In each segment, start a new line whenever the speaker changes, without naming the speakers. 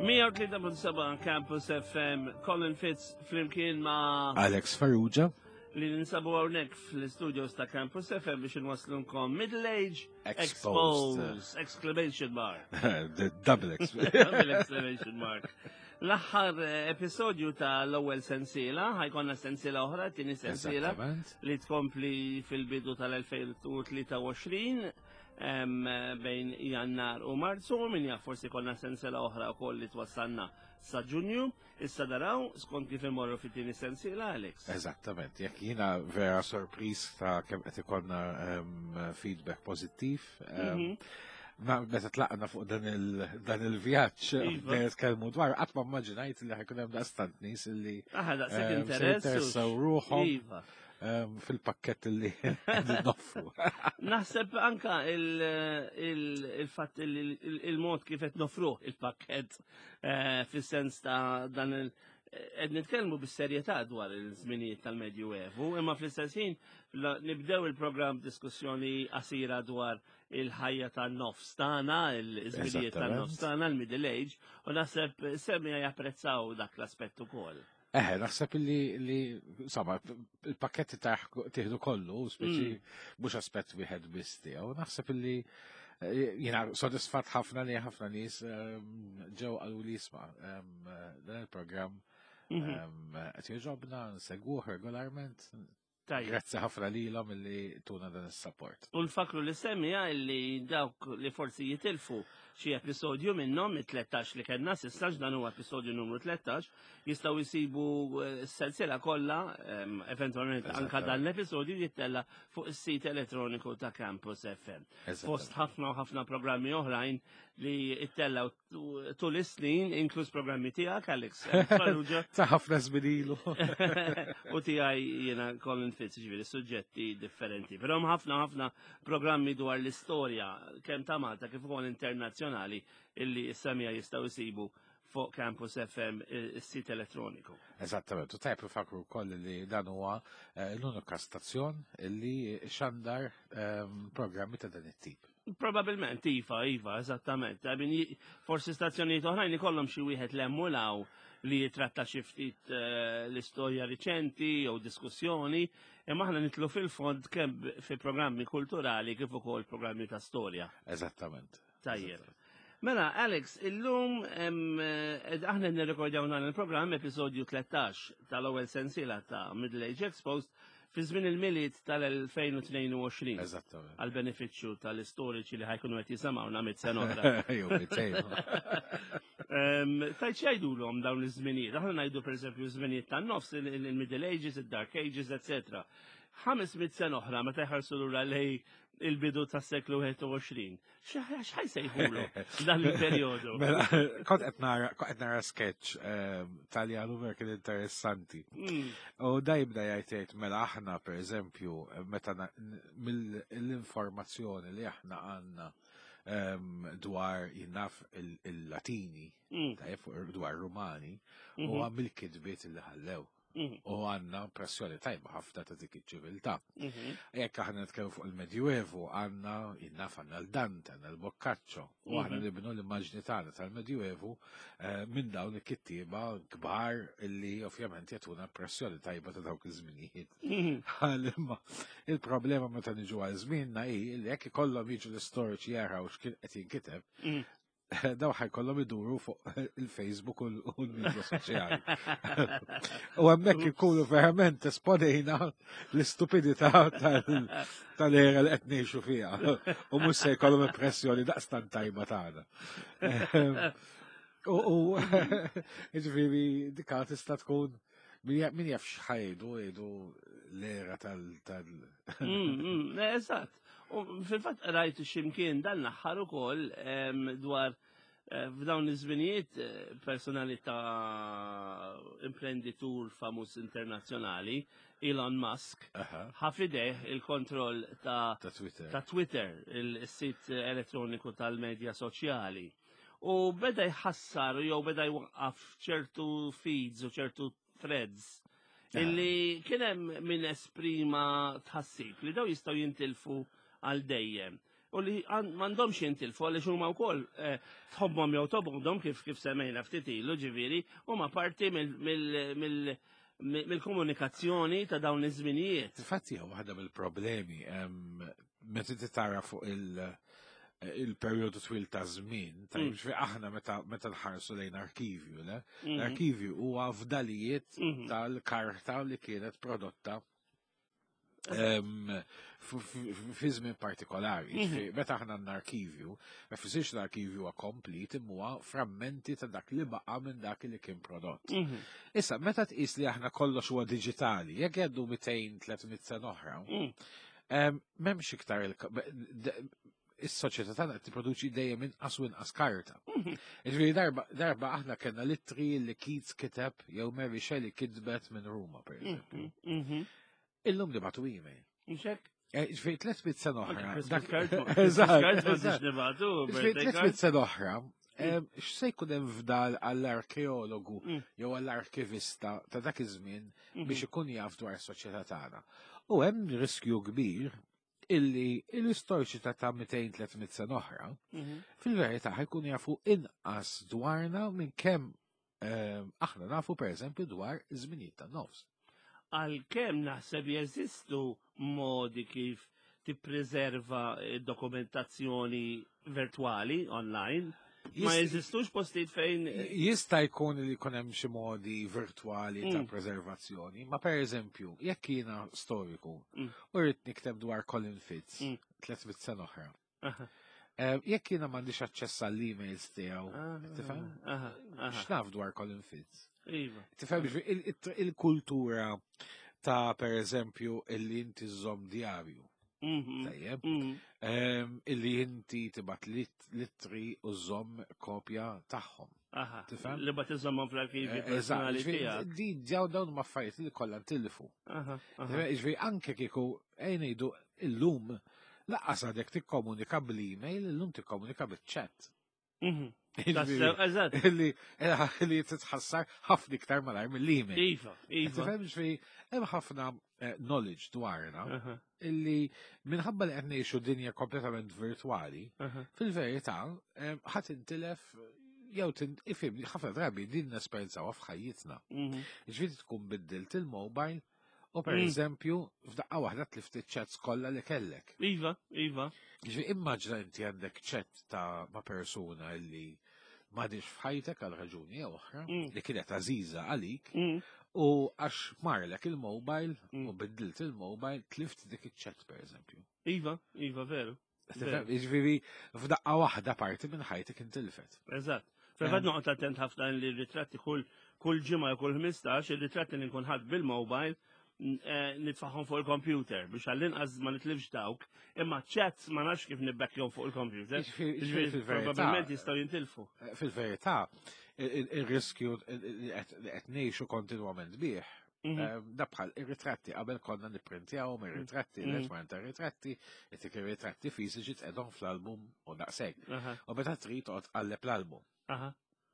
103.7 Campus FM, Colin Fitz flimkien ma'
Alex Farrugia
li ninsabu hawnhekk fl-studios ta' Campus FM biex inwaslunkom Middle Age Exposed, Exposed exclamation mark.
The double
double exclamation mark. L-aħħar eh, episodju ta' l-ewwel sensiela, ħajkonna sensiela oħra, tieni sensiela li tkompli fil-bidu tal-2023 bejn Jannar u Marzu, min jaf forsi konna sensiela oħra wkoll li twassalna sa Ġunju. Issa daraw skont kif imorru fit-tieni sensiela, Alex.
Eżattament, jekk jiena vera sorpriż ta' kemm qed ikollna feedback pożittiv. Mhm. Meta tlaqna fuq dan il-vjaġġ, iva. nitkellmu dwar, qatt ma immaġinajt li ħajkun hemm daqstant nies li
interessaw
ruħhom. Iva. Fil-pakket li noffru.
Naħseb anka il-fatt il-mod kif qed nofruh il-pakket eh, fis-sens ta' dan il- qed nitkellmu bis-serjetà dwar il-żminijiet tal-Medju Evu, imma fl-istess ħin nibdew il-programm diskussjoni qasira dwar il-ħajja tan-nofs tagħna, il-żminijiet tan-nofs tagħna, il-middle age, u naħseb semija japprezzaw dak l-aspett ukoll.
Eħe, naħseb li, li insomma, il-pakketti ta' tieħdu kollu, speċi mm. mhux aspett wieħed biss tiegħu, naħseb li eh, jiena sodisfatt ħafna li ħafna nies ehm, ġew qalu li jisma' ehm, dan il-programm mhm. ehm, qed jogħġobna, nsegwuh regolarment. Tajjeb. Grazzi ħafna lilhom illi tuna dan is-support.
U nfakru li semmija illi dawk li forsi jitilfu xi episodju minnhom it-13 li kellna s'issa dan huwa episodju numru 13 jistgħu jsibu eh, s-sensiela kollha ehm, eventwalment anka dan l-episodju jittella fuq is-sit elettroniku ta' Campus FM. Fost ħafna u ħafna programmi oħrajn li ittellaw tul is-snin, inkluż programmi tiegħek Alex
Farrugia. Ta' ħafna żmien ilu.
U tiegħi jiena Colin Fitz, ġifieri suġġetti differenti. Però hemm ħafna ħafna programmi dwar l-istorja kemm ta' Malta kif ukoll internazzjonali illi s-semija jistgħu jsibu fuq Campus FM is-sit elettroniku.
Eżattament, u tajb ifakru wkoll li dan huwa eh, l-unika stazzjon li xandar ehm, programmi ta' dan it-tip.
Probabilment, iva, iva, eżattament. I mean, forsi stazzjonijiet oħrajn ikollhom xi wieħed l-emmulaw li jitratta xi ftit eh, l-istorja riċenti jew diskussjoni, imma aħna nitlu fil-fond kemm fi programmi kulturali kif ukoll programmi ta' storja.
Eżattament.
Tajjeb. Mela, Alex, illum eh, aħna nirrekordjaw dan il-programm episodju 13 tal-ewwel sensiela ta' Middle Age Exposed fi żmien il-Milied tal-2022.
Eżattament.
Għal benefiċċju tal-istoriċi li ħajkunu qed jisimgħuna mit sena oħra.
Jew mitejn.
Tajt x'jgħidulhom dawn iż-żminijiet? Aħna ngħidu pereżempju żminijiet tan-nofs, il-Middle Ages, id-Dark Ages, etc. 500 sena oħra meta jħarsu lura lej il-bidu tas-seklu 21. X'ħaj sejħulu dan il-perjodu?
Mela, kont qed nara kont qed nara sketch ehm, Taljan u vera kien interessanti. Mm. U da jibda jgħid jgħid mela aħna pereżempju meta mill-informazzjoni li aħna għandna ehm, dwar jinnaf il-Latini, mm. dwar Rumani, u mhm. għam il-kitbiet li ħallew. Mhm. U għanna impressjoni tajba ħafna ta' dik iċ-ċiviltà. Mhm. Jekk aħna nitkellmu fuq il-Medjuevu, għandna jinnaf għandna l-Dante, għandna l-Boccaccio, u aħna mhm. nibnu l-immaġni tagħna tal-Medjuevu eh, minn dawn il-kittieba kbar illi ovvjament jagħtuna impressjoni tajba ta' dawk iż-żminijiet. Imma il-problema meta niġu għal żmienna hi li jekk ikollhom jiġu l-istoriċi jaraw x'kien qed jinkiteb, daw ħajkollhom iduru fuq il-Facebook u l-media soċjali. U hemmhekk ikunu verament esponejna l-istupidità tal-era li qed ngħixu fiha. U mhux se jkollhom impressjoni daqstant tajba tagħna. U ġifieri dika tista' tkun min jaf x'ħajdu jgħidu l-era tal
mm, mm, eżatt. U fil-fatt rajt ximkien dan l-aħħar ukoll dwar eh, f'dawn iż-żminijiet eh, personalità imprenditur famuż internazzjonali Elon Musk ħa f'idejh il-kontroll ta'
Twitter,
ta' Twitter il-sit elettroniku tal-medja soċjali. U beda jħassar jew beda jwaqqaf ċertu feeds u ċertu threads illi kien hemm min esprima tħassib li daw jistgħu jintilfu għal dejjem. u li m'għandhomx jintilfu għaliex huma wkoll eh, tħobbhom jew tobgħodhom kif kif semmejna ftit ilu ġifieri huma parti mill-komunikazzjoni ta' dawn iż-żminijiet.
Infatti hija waħda mill-problemi meta inti tara fuq il- il-perjodu twil ta' żmien, ta' mm. aħna meta meta nħarsu lejn arkivju, le? Mm-hmm. L-arkivju huwa fdalijiet mm-hmm. tal-karta li kienet prodotta fi żmien partikolari. Mhm. Meta aħna għandna arkivju, ma jfissirx l-arkivju huwa komplit imma huwa frammenti ta' dak li baqa' minn dak li kien prodott. Mhm. Issa, meta tqis li aħna kollox huwa diġitali, jekk jgħaddu 200-300 sena oħra, mm. m'hemmx iktar is-soċjetà tagħna qed tipproduċi dejjem inqas u inqas karta. Mhm. Ġifieri darba darba aħna kellna littri li Keats kiteb jew Mary Shelley kitbet minn Ruma pereżempju. Mhm, mhm. Illum nibatu email.
Mxek?
Eh, ġifieri 300 sena oħra.
Ġifieri
300 sena oħra, x'se jkun hemm fdal għall-arkeologu mm. jew għall-arkivista ta' dak iż-żmien biex ikun jaf dwar is-soċjetà tagħna. U hemm riskju kbir illi l-istoriċi ta' ta' 200-300 sena oħra, mhm. fil-verità ħajkunu jafu inqas dwarna minn kemm ehm, aħna nafu per eżempju dwar iż-żminijiet tan-nofs.
Għalkemm naħseb jeżistu modi kif tippreserva dokumentazzjoni virtuali online, Ma jeżistux postijiet fejn.
Jista' jkun li jkun hemm xi modi virtwali ta' mm. preservazzjoni, ma per eżempju, jekk jiena storiku mm. u rrid nikteb dwar Colin Fitz 300 mm. sena oħra. Eh, jekk jiena m'għandix aċċess għall-emails tiegħu, tifhem? X'naf dwar Colin Fitz?
Iva.
Tifhem il-kultura ta' per eżempju illi inti żomm djarju. Mhm. Tajjeb. Mhm. Ehm, illi inti tibat littri u żomm kopja tagħhom.
Aha. Tifhem? Li bat iżommhom fl-arkivi eh, personali tiegħek.
Di dawn dawn ma affarijiet li kollha ntilfu. Ġifieri anke kieku ejn ngħidu illum laqqas għadek tikkomunika bl-email, illum tikkomunika bil-chat.
Mhm. Eżatt.
Li li titħassar ħafna iktar malajr mill-email.
Iva, iva.
Tifhem ġifieri hemm ħafna eh, knowledge dwarna illi minħabba li qed ngħixu dinja kompletament virtwali, fil-verità eh, ħadd intilef jew ifhem ħafna drabi din nesperjenzaw f'ħajjitna. Mhm. Ġifieri tkun biddilt il-mobile U per mm. eżempju, f'daqqa waħda tlift iċ-chats kollha li kellek.
Iva, iva.
Ġifi immaġna inti għandek chat ta' ma' persuna li m'għadix f'ħajtek għal raġuni jew oħra mm. li kienet għażiża għalik mm. u għax marlek il-mobile u biddilt il-mobile tlift dik iċ-chat per eżempju.
Iva, iva, veru.
Ġifieri f'daqqa waħda parti minn ħajtek intilfet.
Eżatt. Fil-fatt noqgħod attent ħafna li r-ritratti kull kull ġimgħa jew kull 15 ir-ritratti li nkun ħadd bil-mobile eh, nitfaħħom fuq il-computer biex għall-inqas ma nitlifx dawk, imma chats ma nafx kif nibbekkjhom fuq il-computer. Probabbilment jistgħu jintilfu.
Eh, fil-verità, il-riskju li qed ngħixu kontinwament bih Mhm. Eh, da bħal ir-ritratti qabel konna nipprintjawhom ir-ritratti, mhm. l-etman ta' ritratti, itik ir-ritratti fiżiċi tqedhom fl-album u daqshekk. U meta trid toqgħod tqalleb l-album.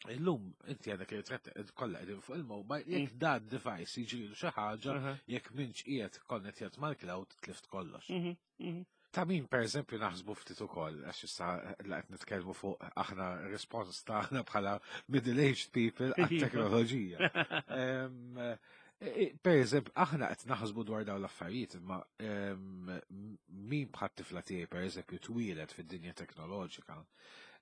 Illum inti għandek ir-ritratti kollha qegħdin fuq il-mobile, jekk mm. dan device jiġrilu xi ħaġa, jekk minx qiegħed konnettjat mal-cloud tlift kollox. Mhm. Ta' min per eżempju naħsbu ftit ukoll, għax issa la qed nitkellmu fuq aħna respons tagħna bħala middle-aged people għat-teknoloġija. E, e, per eżempju, aħna qed naħsbu dwar dawn l-affarijiet, imma min bħat tifla tiegħi per eżempju twieled fid-dinja teknoloġika,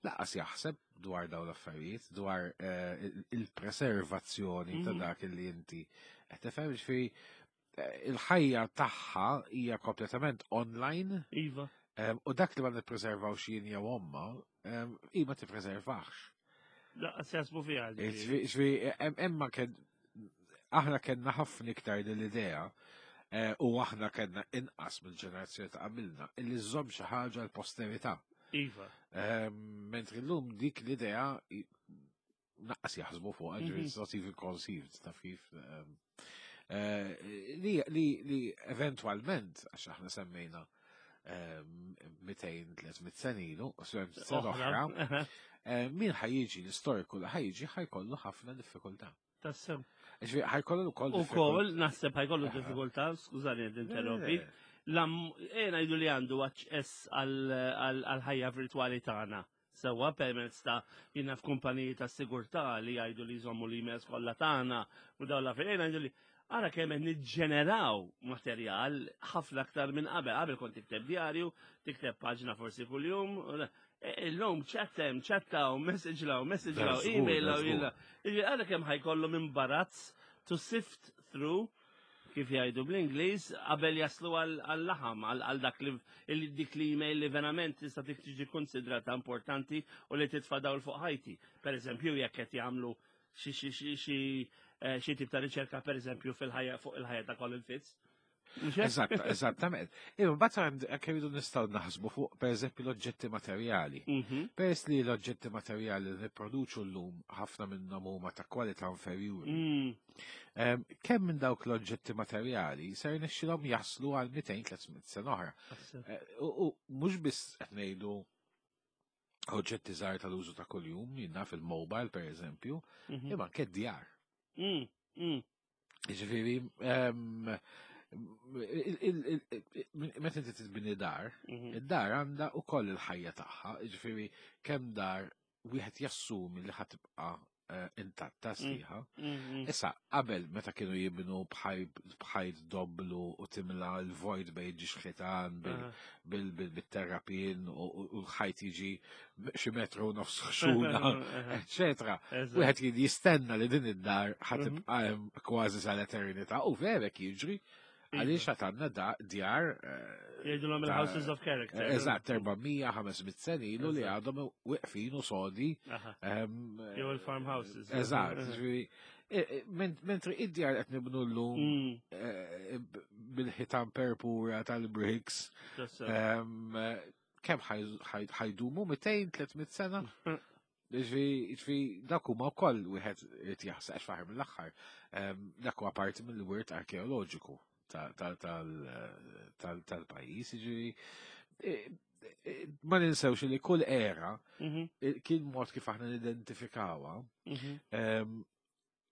laqas jaħseb dwar dawn l-affarijiet, dwar eh, il-preservazzjoni ta' mhm. dak li inti qed tifhem ġifieri il-ħajja tagħha hija kompletament online.
Iva.
U dak li ma nippreservaw xi jien jew omma, hi ma tippreservax.
Laqqas jasbu fiha.
Ġifieri emma kien aħna kellna ħafna iktar din l-idea eh, u aħna kellna inqas mill-ġenerazzjoni ta' qabilna illi żżomm xi ħaġa l-posterità.
Iva.
Mentri llum dik l-idea naqqas jaħsbu fuq, ġifieri it's not even conceived, taf kif. Ehm, eh, li, li, li eventualment, għax aħna semmejna 200-300 ehm, senilu, sena oħra, eh, min ħajjiġi l-istoriku li ħajjiġi ħajkollu ħafna diffikultà.
Tassew.
Ġifieri ħajkollu wkoll.
Ukoll naħseb ħajkollu diffikultà, skużani qed interrompi. Ejja ngħidu li għandu aċċess għall-ħajja virtwali tagħna. Sewwa permezz ta' jiena f'kumpaniji ta' sigurtà li jgħidu li jżommu l-emails kollha tagħna u dawn l-affarijiet ejja ngħidu li ara kemm qed niġġeneraw materjal ħafna aktar minn qabel. Qabel kont tikteb djarju, tikteb paġna forsi kuljum. E, illum chat hemm, chattaw, message law, message law, email law, illa. Ara kemm ħajkollhom imbarazz to sift through kif jgħidu bl-Ingliż, qabel jaslu għal-laħam, għal dak li dik li email li verament tista' tiġi konsidrata importanti u li titfa' dawl fuq ħajti. Per eżempju, jekk qed jagħmlu xi tip ta' riċerka per eżempju fil-ħajja fuq il-ħajja ta' Colin Fitz.
Eżatt, eżattament. Imma mbagħad hekk irridu nistgħu naħsbu fuq pereżempju l-oġġetti materjali. Mhm. Peress li l-oġġetti materjali li nipproduċu llum ħafna minnhom huma ta' kwalità inferjuri. Mm. Kemm minn dawk l-oġġetti materjali ser nixxilhom jaslu għal 200-300 sena oħra. Eh, u mhux biss qed ngħidu oġġetti żgħar tal-użu ta' kuljum, jinnna fil-mobile per eżempju, mhm. imma anke djar. Mm, mm. Ġifieri, meta inti tibni dar, mhm. id-dar għandha ukoll il-ħajja tagħha, ġifieri kemm dar wieħed jassumi li ħatibqa' eh, intatta mm. sħiħa. Mm-hmm. Issa, qabel meta kienu jibnu bħajt doblu u timla l-vojt bej ġiex ħitan bil-terrapin u l-ħajt jiġi xi metru nofs ħxuna, eċetera. Wieħed kien jistenna li din id-dar ħatibqa' mhm. hemm kważi sal-eternità u verek jiġri għaliex għad għandna djar. Eh,
Jgħidulhom il-Houses of Character.
Eh, eżatt, 400-500 sen ilu li għadhom wiqfin u sodi.
Ehm, Jew il-farmhouses.
Eżatt, eh, mentri id-djar qed nibnu llum mm. bil-ħitan perpura tal-bricks. Ehm, kemm ħajdumu 200-300 sena? Ġifi, dak huma wkoll wieħed irid jaħseb għax faħar mill-aħħar. Ehm, dak huwa parti mill-wirt arkeoloġiku tal-pajjiż, ġifi e, e, ma ninsewx li kull era mhm. e, kien mod kif aħna nidentifikawha mhm. ehm,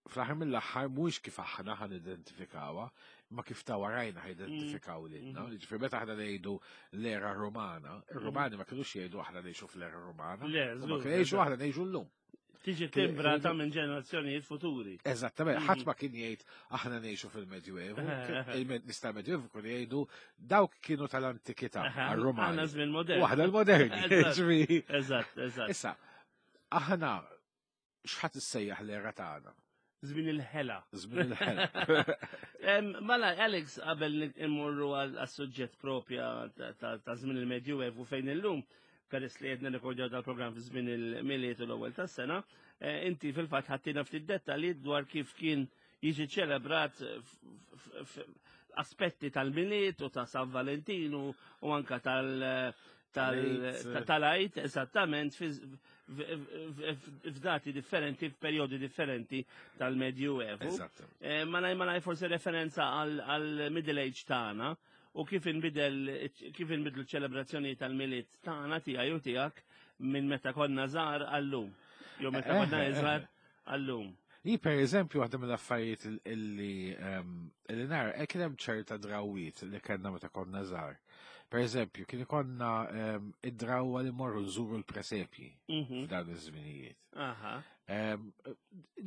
fl-aħħar mill-aħħar mhuwiex kif aħna ħan identifikawha, imma kif ta' warajna ħa identifikaw mm. lilna. Mm. Ġifieri meta aħna ngħidu l-era Romana, ir-Romani ma kinux jgħidu aħna ngħixu fl-era Romana. Ma kienu jgħixu aħna ngħixu llum.
Tiġi timbrata minn ġenerazzjonijiet futuri.
Eżattament, ħadd ma kien jgħid aħna ngħixu fil-Medjuevu, il-nies tal-Medjuevu kienu jgħidu dawk kienu tal-antikità, għar-Romani.
Aħna żmien moderni.
U aħna l-moderni.
Eżatt, eżatt.
Issa, aħna x'ħadd issejjaħ l-era tagħna?
Żmien il-ħela.
Żmien il-ħela.
Mela, Alex, qabel immorru għas-suġġett propja ta' żmien il-Medjuevu fejn illum, peress li qed nirrekordjaw dal-programm fi żmien il-Milied u l-ewwel tas-sena, eh, inti fil-fatt ħattina ftit dettalji dwar kif kien jiġi ċelebrat aspetti tal-Milied u ta' San Valentinu u anka tal- tal-għajt, eżattament, f'dati differenti, f'perjodi differenti tal-Medju Evu. Eh, ma naj ma naj forsi referenza għal-Middle Age tagħna u kif inbidel kif inbidlu ċelebrazzjoni tal-Milied tagħna tiegħi u tiegħek minn meta konna żgħar għallum. Jew meta eh, konna eh, iżgħar għallum.
Li per eżempju waħda mill-affarijiet illi ehm, illi nara eh, kien hemm ċerta drawiet li kellna meta konna żgħar. Per eżempju, kien ikonna ehm, id-drawwa li morru nżuru l-presepji mhm. f'dan iż-żminijiet. Ehm,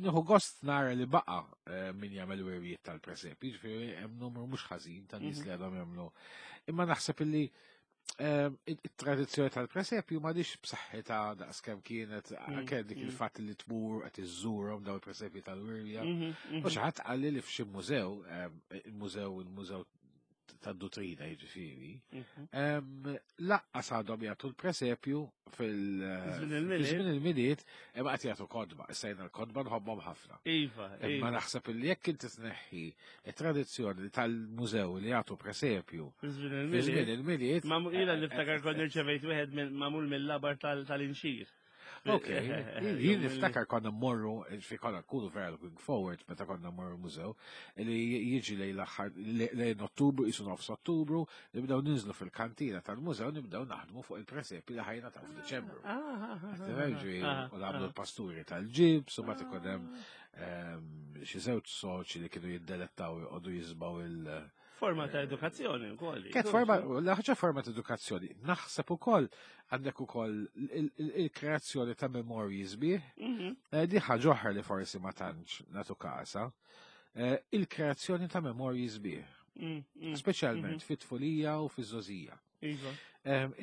nieħu gost nara li baqa eh, min jagħmel wirjiet tal-presepji, ġifieri hemm numru mhux ħażin ta' nies mhm. li għadhom jagħmlu. Imma naħseb illi Ehm, it-tradizzjoni tal-presepju ma dix b'saħħitha daqskemm kienet mm, anke dik mm. il-fatt li tmur qed iżżurhom daw il-presepji tal-wirja. Mm-hmm, mm-hmm. U xi ħadd qalli li f'xi mużew, ehm, il-mużew il-mużew tad-dutrina jiġifieri, mhm. laqqas għadhom jagħtu l-presepju fil-żmien il-milied imma qed jagħtu kodba, issa jiena l-kodba nħobbhom ħafna.
Iva,
Imma iva. naħseb li jekk inti tneħħi it-tradizzjoni tal-mużew li jagħtu presepju fi żmien il-milied.
Ma ila niftakar kont irċevejt wieħed magħmul mill-labar tal-inxir.
Ok, jien niftakar konna mmorru, fi konna nkunu vera looking forward meta konna mmorru mużew, li jiġi lejn l-aħħar lejn Ottubru, jisu nofs Ottubru, nibdew ninżlu fil-kantina tal-mużew nibdew naħdmu fuq il-presepi li ħajna ta' f'Diċembru. Ah, ah, ah, u nagħmlu l-pasturi tal-ġibs, u ma ikun hemm xi żewġ soċi li kienu jiddelettaw joqogħdu jisbaw il-
Forma ta' edukazzjoni wkoll.
Kienet forma, ħaġa forma ta' edukazzjoni. Naħseb ukoll għandek ukoll il-kreazzjoni ta' memorji sbieħ. Eh, di ħaġa oħra li forsi ma tantx nagħtu kasa. Eh, il-kreazzjoni ta' memorji sbieħ. Speċjalment fit-tfulija u fiż-żożija.
Iva.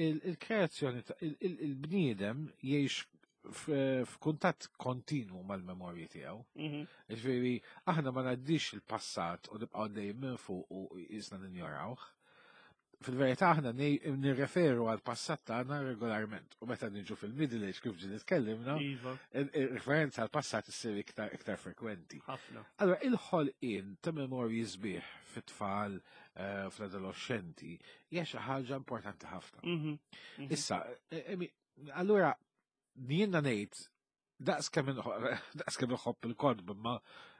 Il-kreazzjoni il-bniedem jgħix f'kuntatt kontinwu mal-memorji tiegħu. Ġifieri aħna ma ngħaddix il-passat u nibqgħu dejjem minn fuq u jisna ninjorawh. Fil-verità aħna nirreferu għal passat tagħna regolarment u meta niġu fil-middle age kif ġi nitkellimna,
iva.
il-referenza għal passat issir iktar iktar frekwenti.
Ħafna.
Allora il-ħolqien ta' memorji sbieħ fit-tfal eh, fl-adolescenti hija xi ħaġa importanti ħafna. Issa, eh, allura jiena ngħid daqs kemm inħobb il-kotb imma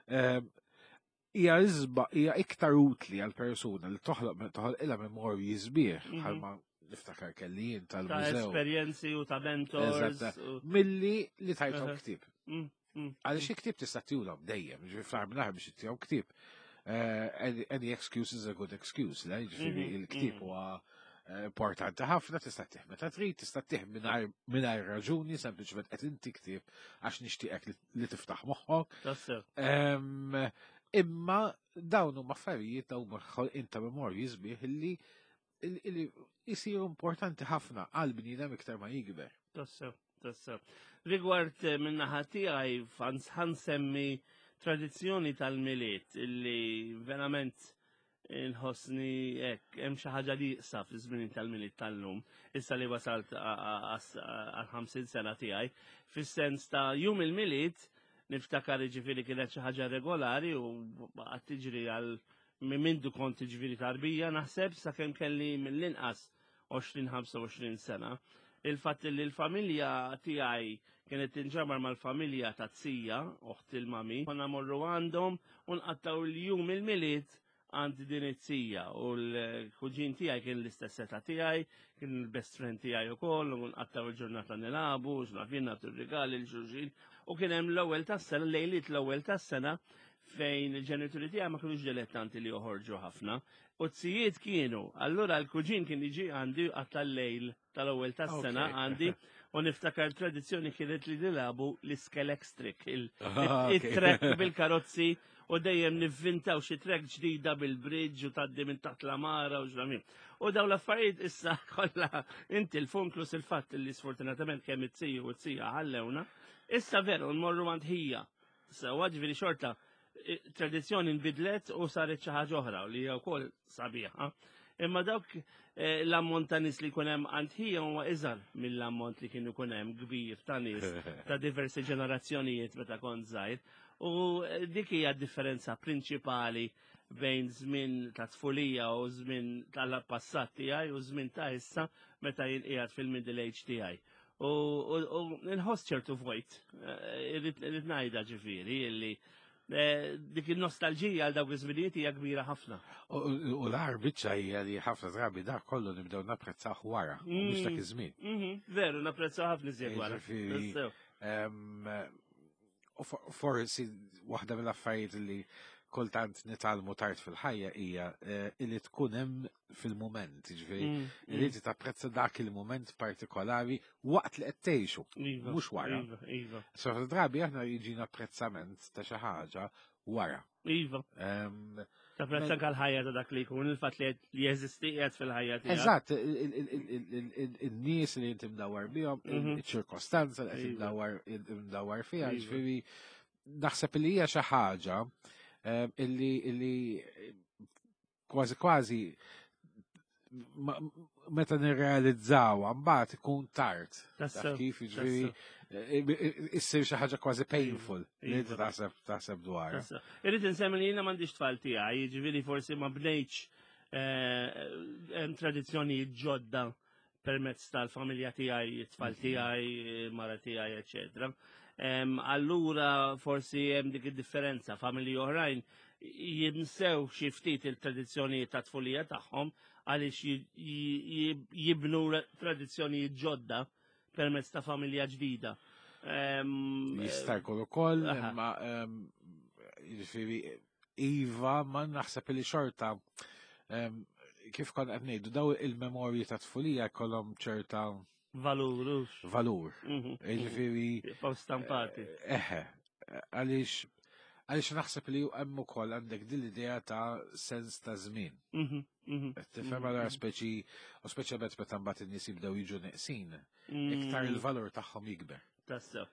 ehm, hija iżba hija iktar utli għal persuna li toħloq toħloq ilha memorji sbieħ bħalma niftakar kelli jien tal-mużew.
Ta' esperjenzi u ta' mentors.
Milli li tajthom ktieb. Għaliex il-ktieb tista' tihulhom dejjem, ġifieri fl-aħħar mill-aħħar biex ittihom ktieb. Eh, any excuse is a good excuse, le? Ġifieri il-ktieb huwa eh, importanti ħafna, tista' tih meta trid, tista' tih mingħajr raġuni, sempliċement qed inti ktieb għax nixtieqek li tiftaħ moħħok. Imma dawn huma affarijiet dawn huma ħolqien ta' memorji sbieħ illi jisiru importanti ħafna għal bniedem iktar ma jikber.
Tassew, tassew. Rigward eh, minnaħa tiegħi ħansemmi tradizzjoni tal-Milied illi verament nħossni hekk hemm xi ħaġa li jaqsa fi żmien tal-Milied tal-lum, issa li wasalt għal 50 sena tiegħi, fis-sens ta' jum il-Milied niftakar ġifieri kienet xi ħaġa regolari u baqgħet tiġri għal Minn mindu kont jiġifieri tarbija naħseb sakemm kelli mill-inqas 20-25 sena. Il-fatt li l-familja tiegħi kienet tinġabar mal-familja ta' zija, oħt il-mami, konna morru għandhom u nqattaw il-jum il-Milied għand din it-zija u l-kuġin tiegħi kien l-istess età tiegħi, kien il-best friend tiegħi ukoll u nqattaw il-ġurnata nilagħbu, x'naf jien nagħtu r-rigali l xulxin u kien hemm l-ewwel tas-sena, lejliet l-ewwel tas-sena fejn il-ġenituri tiegħi ma kinux dilettanti li joħorġu ħafna. U t-sijiet kienu, allura l-kuġin kien jiġi għandi għat-lejl tal-ewwel tas-sena għandi u niftakar tradizzjoni kienet li nilabu l-iskelex trick, il-trek bil-karozzi u dejjem nivvintaw xi trek ġdida bil-bridge u taddi minn taħt l-amara u ġramin. U daw l-affarijiet issa kollha inti l-funklus il-fatt li sfortunatament kemm it-tiju u t-tija ħallewna, issa veru nmorru għand ħija Sewa ġifieri xorta tradizzjoni nbidlet u saret xi ħaġa oħra li hija wkoll sabiħa. Imma dawk eh, l-ammont ta' nies li jkun hemm għand ħija huwa iżgħar mill-ammont li kien ikun hemm kbir ta' nies ta' diversi ġenerazzjonijiet meta kont żgħir. U eh, dik hija d-differenza prinċipali bejn żmien ta' tfulija u żmien tal-passat tiegħi u żmien ta' issa meta jien qiegħed fil-middle age tiegħi. U nħoss ċertu vojt, eh, irrid ngħidha ġifieri illi eh, dik il-nostalġija għal dawk iż-żminijiet hija kbira ħafna.
U l-agħar biċċa hija li ħafna drabi dak kollu nibdew napprezzah wara, mhux dak iż-żmien.
Veru, napprezzaw ħafna iżjed wara.
U forsi waħda mill-affarijiet li kultant nitgħallmu tard fil-ħajja hija eh, li tkun hemm fil-mument, jiġifieri li inti tapprezza dak il-mument partikolari waqt li qed tgħixu,
Iva,
mhux wara.
Iva, iva.
So drabi aħna jiġina apprezzament ta' xi ħaġa wara.
Iva. Tapprezza anke l-ħajja ta' dak li jkun, il-fatt li jeżisti qiegħed fil-ħajja
tiegħek. Eżatt, in-nies li inti mdawwar bihom, iċ-ċirkostanza li qed mdawwar fiha, iva. ġifieri naħseb li hija xi ħaġa illi kważi kważi meta nirrealizzaw mbagħad ikun tard. Taf kif jiġifieri eh, eh, issir xi ħaġa kważi painful li inti iva. taħseb taħseb dwar.
Irrid insemmi li jiena m'għandix tfal tiegħi, jiġifieri forsi ma bnejtx eh, hemm tradizzjonijiet ġodda permezz tal-familja tiegħi, it-tfal tiegħi, mara tiegħi, eċetera. Allura forsi hemm dik id-differenza, familji oħrajn jinsew xi ftit il-tradizzjonijiet ta' tfulija tagħhom għaliex jibnu tradizzjonijiet ġodda permezz ta' familja ġdida.
Jista' jkun ukoll, imma jiġifieri iva ma naħseb li xorta. Kif konna qed ngħidu daw il-memorji ta' tfulija jkollhom ċerta
valur.
Valur. Jiġifieri.
Jibqgħu stampati.
Eh, eħe, għaliex għaliex naħseb li hemm ukoll għandek din l-idea ta' sens ta' żmien. Tifhem għal speċi u speċjalment meta mbagħad in-nies jibdew jiġu neqsin, iktar il-valur tagħhom jikber.
Tassew.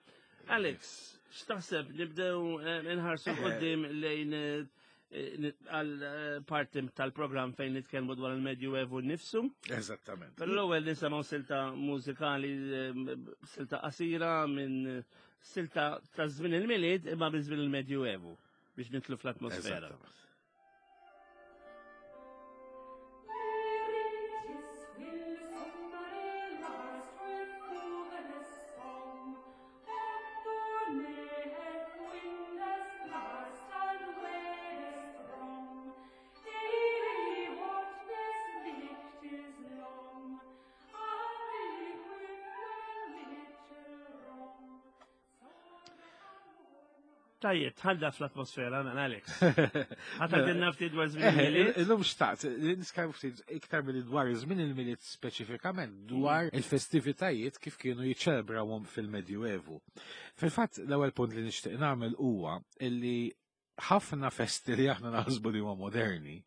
Alex, x'taħseb nibdew eh, nħarsu eh. qudiem lejn eh, għal parti tal-programm fejn nitkellmu dwar il-Medju Evu nnifsu.
Eżattament.
Però l-ewwel nisimgħu silta mużikali, silta qasira minn silta ta' żmien il-Milied imma minn żmien il-Medju Evu biex nitlu fl-atmosfera. Tajjeb, tħadda fl-atmosfera, mela Alex. Ħadd għandna ftit dwar żmien eh, il-Milied.
Illum xtaqt, nitkellmu ftit iktar milli dwar żmien il-Milied speċifikament dwar il-festivitajiet kif kienu jiċċelebrawhom fil-Medjuevu. Fil-fatt, l-ewwel punt li nixtieq nagħmel huwa illi ħafna festi li aħna naħsbu li huma moderni,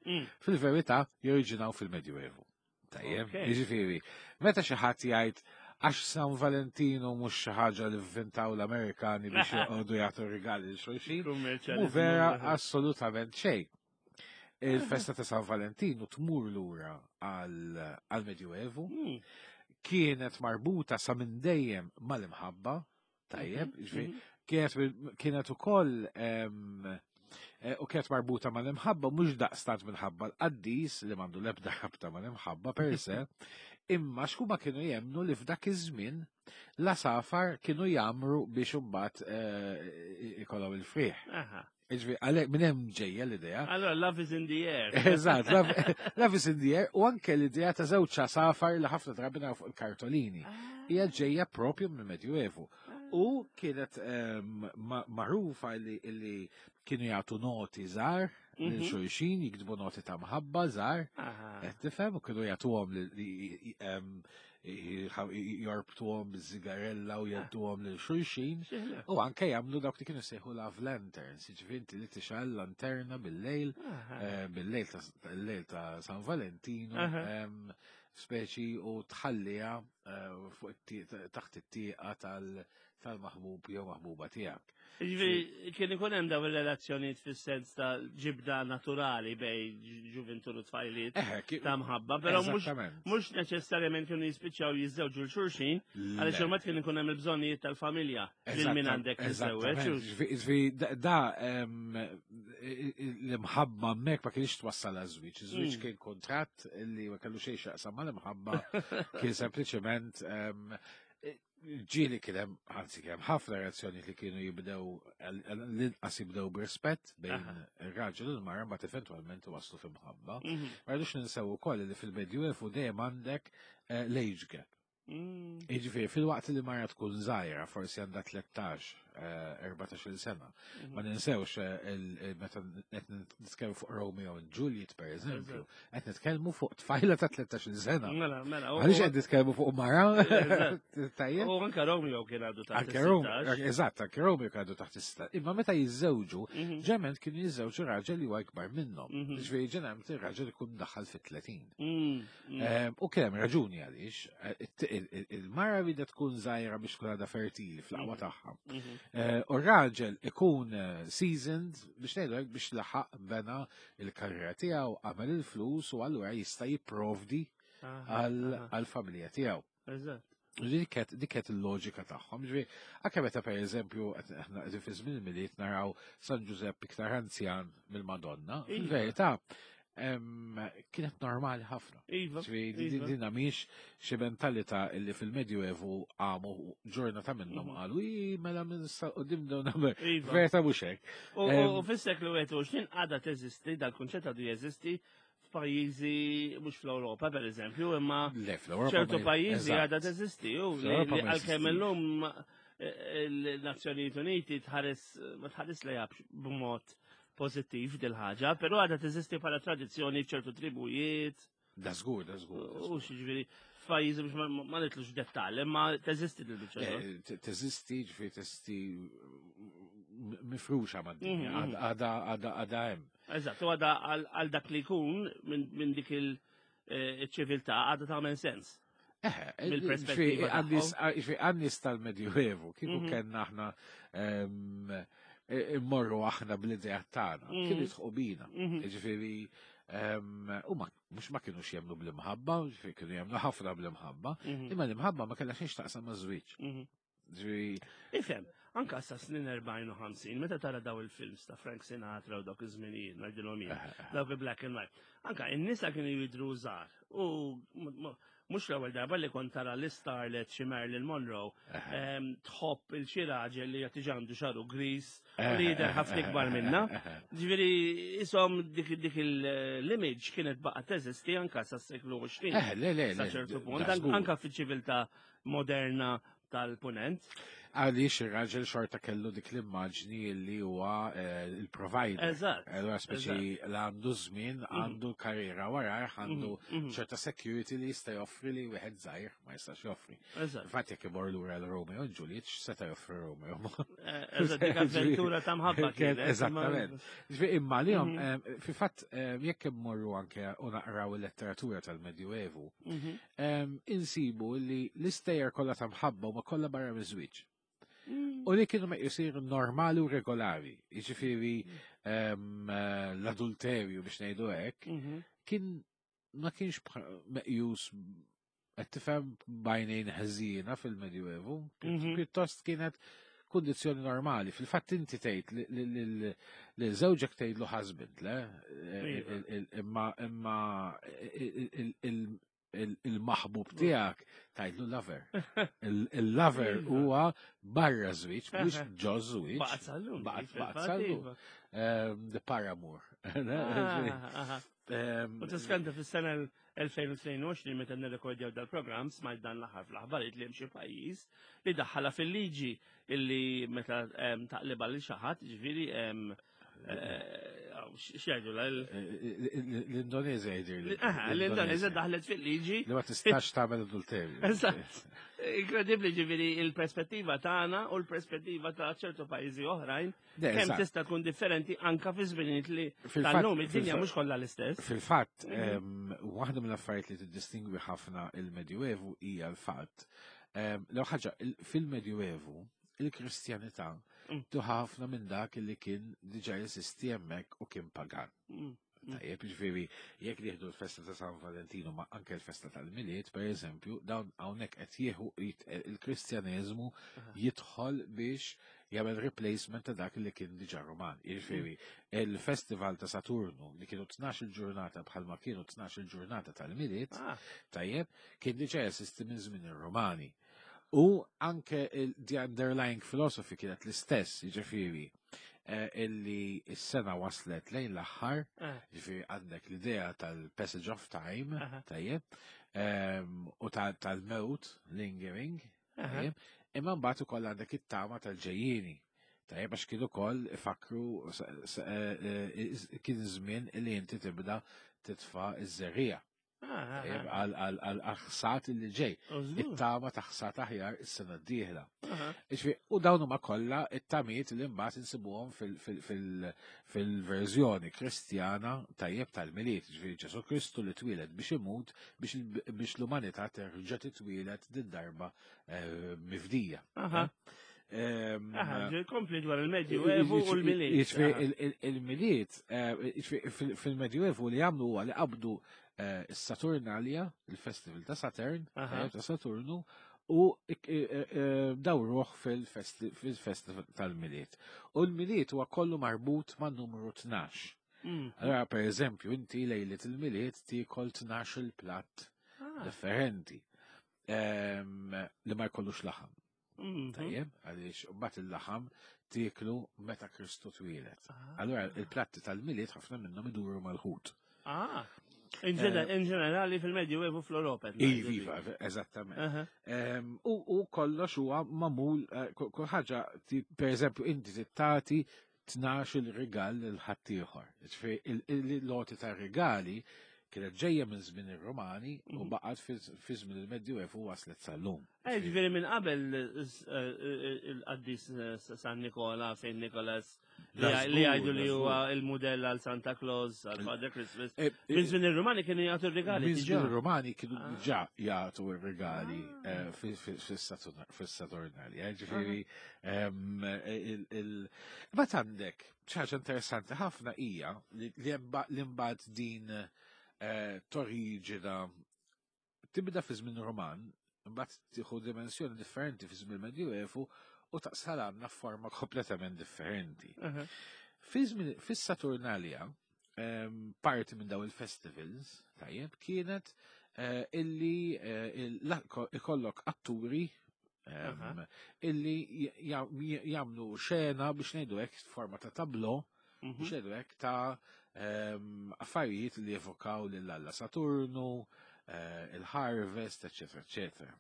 fil-verità joriġinaw fil-Medjuevu. Tajjeb, jiġifieri, meta xi ħadd jgħid għax San Valentino mhux xi ħaġa li vvintaw l-Amerikani biex joqogħdu jagħtu rigali lil xulxin, mhu vera assolutament xejn. Il-festa ta' San Valentino tmur lura għal-Medjuevu, kienet marbuta sa minn dejjem mal-imħabba, Tajjeb, mhm, ġifieri, mhm. kienet ukoll eh, u kienet marbuta mal-imħabba mhux daqstant minħabba l-qaddis li m'għandu l-ebda rabta mal-imħabba per se, imma x'huma kienu jemnu li f'dak iż-żmien la safar kienu jamru biex imbagħad eh, ikollhom il-frieħ. Iġvi, għalek, minn hemm ġejja l-idea.
Allora, love is in the air.
Eżatt, love is in the air, u anke l-idea ta' żewġ safar li ħafna drabi naraw fuq il-kartolini. Ah. Hija ġejja propju mill-Medjuevu. Ah. U kienet ehm, magħrufa li kienu jagħtu noti żgħar lil mhm. xulxin, jiktbu noti ta' mħabba żgħar. Qed tifhem u kienu jagħtuhom li ehm, jorbtuhom biż-żigarella u jgħadduhom lil xulxin u anke jagħmlu dawk li kienu sejħu love lanterns, jiġifieri inti li tixgħel lanterna bil-lejl, eh, bil-lejl ta' ta' San Valentino, speċi u tħalliha eh, fuq taħt it-tieqa tal-maħbub jew maħbuba tiegħek.
Jiġifieri kien ikun hemm dawn ir-relazzjonijiet fis-sens ta' ġibda naturali bej ġuventur u tfajliet ta' mħabba, però mhux neċessarjament kienu jispiċċaw jiżżewġu l xulxin, għaliex imbagħad kien ikun hemm il-bżonnijiet tal-familja lil min għandek tiżżewweġ.
Jiġifieri da l-imħabba hemmhekk ma kienx twassal għaż-żwieġ. Iż-żwieġ mm. kien kuntratt li ma kellu xejn x'jaqsam mal-imħabba, kien sempliċement ġieli kien hemm, anzi kien hemm ħafna reazzjonijiet li kienu jibdew l-inqas jibdew b'rispett bejn ir-raġel u l-mara mbagħad eventwalment waslu fi mħabba. Mhm. Ma rridux ninsew ukoll li fil-Medjuevu dejjem għandek eh, l-age gap. Mm. Jiġifieri fil-waqt li mara tkun żgħira, forsi għandha 13, 14 eh, sena. Mhm. Ma ninsewx eh, meta qed nitkellmu fuq Romeo and Juliet per eżempju, qed nitkellmu fuq tfajla ta' 13 sena.
Mela, mela.
Għaliex qed nitkellmu fuq mara?
Tajjeb. U anke Romeo kien għadu taħt. Anke
Romeo, eżatt, anke Romeo kien għadu taħt is Imma meta jiżżewġu, mhm. ġement kienu jiżżewġu raġel li huwa ikbar minnhom. Mhm. Ġifieri ġeneralment ir-raġel ikun daħal fit-30. Mm, mm. Ehm, u kien hemm raġuni għaliex, eh, il-mara rida tkun żgħira biex tkun għadha fertili fl-aqwa mhm. tagħha. Eh, u r-raġel ikun eh, seasoned biex ngħidu hekk biex laħaq bena il-karriera tiegħu, għamel il-flus u allura jista' jipprovdi għall-familja tiegħu.
Eżatt.
Dik kienet il-loġika tagħhom. Ġifieri, anke meta pereżempju aħna qegħdin fi żmien il-Milied naraw San Ġużepp iktar anzjan mill-Madonna, iva. fil-verità kienet normali ħafna.
Iva, iva.
Dinna miex xi mentalità li fil-Medjuevu għamu ġurnata minnhom mhm. qalu mela minn qudiem dawn iva. Verta mhux hekk.
U fis-seklu 21 għadha teżisti, dal-kunċett għadu jeżisti f'pajjiżi mhux fl-Ewropa pereżempju, imma ċertu pajjiżi għadha teżisti u għalkemm illum eh, l-Nazzjonijiet Uniti tħares ma tħares lejha b'mod. pożittiv dil-ħaġa, però għadha teżisti bħala tradizzjoni f'ċertu tribujiet.
Da żgur, da żgur.
U ġifieri f'pajjiżi biex ma nitlux dettall, imma teżisti dil-biċċa.
Eh, teżisti, ġifieri teżisti mifruxa mad-dinja, għada għada għada hemm.
Eżatt, u għada għal dak li jkun minn dik il-ċiviltà eh, għada tagħmel sens.
Eh, Mill-perspettiva. Għannis tal-Medjuevu, kieku kellna aħna immorru aħna bl-idea tagħna, kienu jitħu bina. Ġifieri u ma mhux ma kienux jemnu bl-imħabba, ġifieri kienu jemnu ħafna bl-imħabba, imma l-imħabba ma kellha xejn x'taqsam ma' żwieġ.
Ġifieri Ifhem, anka sa snin 40 u 50, meta tara daw il-films ta' Frank Sinatra u dawk iż-żminijiet, ngħidilhom jien, dawk il-black and white. Anka in-nisa kienu jidhru żgħar u mhux l-ewwel darba li kont tara l-starlet xi Marilyn Monroe tħobb il xi raġel li qed għandu xaru gris u li jidher ħafna ikbar minna. Ġifieri isom dik dik l-image kienet baqgħet teżisti anka sas-seklu 20.
Eh, le, le,
Sa ċertu punt, anka fiċ-ċiviltà moderna tal-punent.
Għaliex ir-raġel xorta kellu dik l-immaġni li huwa eh, il-provider.
Eżatt.
Allura speċi l għandu żmien, għandu karriera warajh, għandu ċerta security li jista' joffri li wieħed żgħir ma jistax joffri. Infatti jekk imur lura l-Romeo u Juliet, x'seta' joffri Romeo?
Eh, eżatt, dik avventura ta' mħabba
kienet. Eżattament. Ġifieri imma li eh, fil-fatt jekk immorru anke u naqraw il-letteratura tal-Medjuevu, insibu li l-istejjer kollha ta' mħabba huma kollha barra miż-żwieġ. U li kienu meqjusin normali u regolari. Jiġifieri l-adulterju biex ngħidu hekk, kien ma kienx meqjus qed tifhem b'għajnejn ħżiena fil-Medjuevu, pjuttost kienet kundizzjoni normali. Fil-fatt inti tgħid li żewġek tgħidlu husband, le? Imma imma il-maħbub tiegħek tgħidlu lover. Il-lover huwa barra żwieġ, mhux ġo żwieġ.
Baqgħet sal-lum.
Baqgħet sal-lum. The paramour.
U tiskanta fis-sena 2022 meta nirrekordjaw dal-programm smajt dan l-aħħar fl-aħbarijiet li hemm xi pajjiż li daħħala fil-liġi illi meta taqliba lil xi ħadd, ġifieri x'jgħidu
l-Indonezja jgħidir.
L-Indonezja daħlet fil-liġi.
Li ma tistax tagħmel adulterju.
Eżatt. Inkredibbli ġifieri il-perspettiva tagħna u l-perspettiva ta' ċertu pajjiżi oħrajn kemm tista' tkun differenti anka fi żminijiet li tal-lum id-dinja mhux kollha l-istess.
Fil-fatt, waħda mill-affarijiet li tiddistingwi ħafna il-Medjuevu hija l-fatt. L ħaġa, fil-Medjuevu, il-Kristjanità tuħa ħafna minn dak li kien diġà jeżisti hemmhekk u kien pagan. Tajjeb, ġifieri, jekk nieħdu l-festa ta' San Valentino ma anke l-festa tal-Milied, per eżempju, dawn hawnhekk qed jieħu il-Kristjaneżmu jidħol biex jagħmel replacement ta' dak li kien diġà Roman. Jiġifieri, il-festival ta' Saturnu li kienu 12 il-ġurnata bħalma kienu 12 il-ġurnata tal-Milied, tajjeb, kien diġà jeżisti minn żmien ir-Romani. U anke the underlying philosophy kienet l-istess, jiġifieri, illi s-sena waslet lejn l-aħħar, ġifieri għandek l-idea tal-passage of time, tajjeb, u tal-mewt, lingering, tajjeb, imma mbagħad ukoll għandek it-tama tal-ġejjieni. Tajjeb, għax kienu ukoll ifakru kien żmien li inti tibda titfa' iż-żerriegħa. Għal ħsad li ġej. It-tama ta' ħsad aħjar is-sena d-dieħla. U dawn huma kollha it-tamiet li mbagħad insibuhom fil-verżjoni Kristjana tajjeb tal-Milied, ġifieri Ġesu Kristu li twieled biex imut biex l-umanità terġa' titwieled din darba mifdija.
Kompli dwar il-Medjuevu u l-Milied.
Il-Milied, fil-Medjuevu li għamlu huwa li qabdu s-Saturnalia, il-festival ta' Saturn, ta' Saturnu, u dawruh fil-festival tal-Milied. U l-Milied huwa kollu marbut ma' numru 12. Allora, per eżempju, inti lejlet il-Milied tiekol 12 il-platt differenti li ma jkollux laħam. Tajjeb, għaliex mbagħad il-laħam tieklu meta Kristu twieled. Allora il-platti tal-Milied ħafna minnhom iduru mal-ħut.
Ah, in ġenerali fil-Medju fl-Europa.
Iva, eżattament. U kollox huwa magħmul, kull ħaġa, per eżempju, inti tittati 12 il-rigal lil ħaddieħor. Ġifieri il-loti ta' rigali kienet ġejja minn żmien ir-Romani u baqgħet fi żmien il-Medjuevu waslet sal-lum.
Ġifieri minn qabel il-qaddis San Nikola, Saint Nicholas, li jgħidu li huwa il-mudell għal Santa Claus, għal Father Christmas. Minn żmien ir-Rumani kienu jagħtu r-rigali.
Minn żmien ir-Rumani kienu ah. ġa jagħtu r-rigali ah. fis-Saturnali. Ġifieri Imbagħad għandek xi ħaġa interessanti ħafna hija li mbagħad din toriġina tibda fi żmien Roman, imbagħad tieħu dimensjoni differenti fi żmien Medjuevu u taqsal għandna forma kompletament differenti. Fis-Saturnalia, parti minn daw il-festivals, tajjeb, kienet illi ikollok atturi illi jagħmlu xena biex ngħidu hekk forma ta' tablo, biex ngħidu hekk ta' affarijiet li evokaw lil Alla Saturnu, il-harvest, eċetera, eċetera.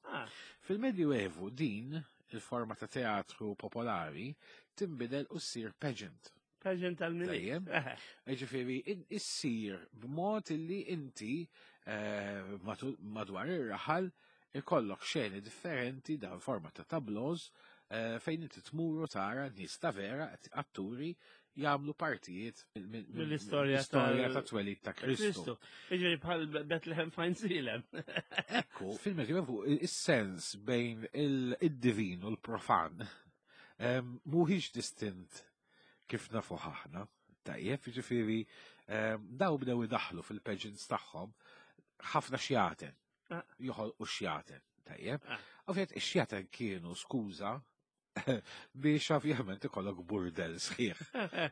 Fil-Medjuevu din il-forma ta' teatru popolari tinbidel u ssir pageant.
Pageant tal-Milied.
Ġifieri, issir b'mod illi inti madwar ir-raħal ikollok xeni differenti dan forma ta' tablows fejn inti tmuru tara nies ta' vera atturi jagħmlu partijiet
mill-istorja
ta' twelid ta' Kristu.
Jiġifieri bħal Bethlehem fejn Silem.
Ekku, fil-Medjuevu is-sens bejn id-divin u l-profan mhuwiex distint kif nafu aħna. Tajjeb, jiġifieri daw bdew idaħlu fil-pageants tagħhom ħafna xjaten. Joħolqu xjaten. Tajjeb. Ovvjament ix-xjaten kienu skuża biex ovvjament ikollok burdel sħiħ.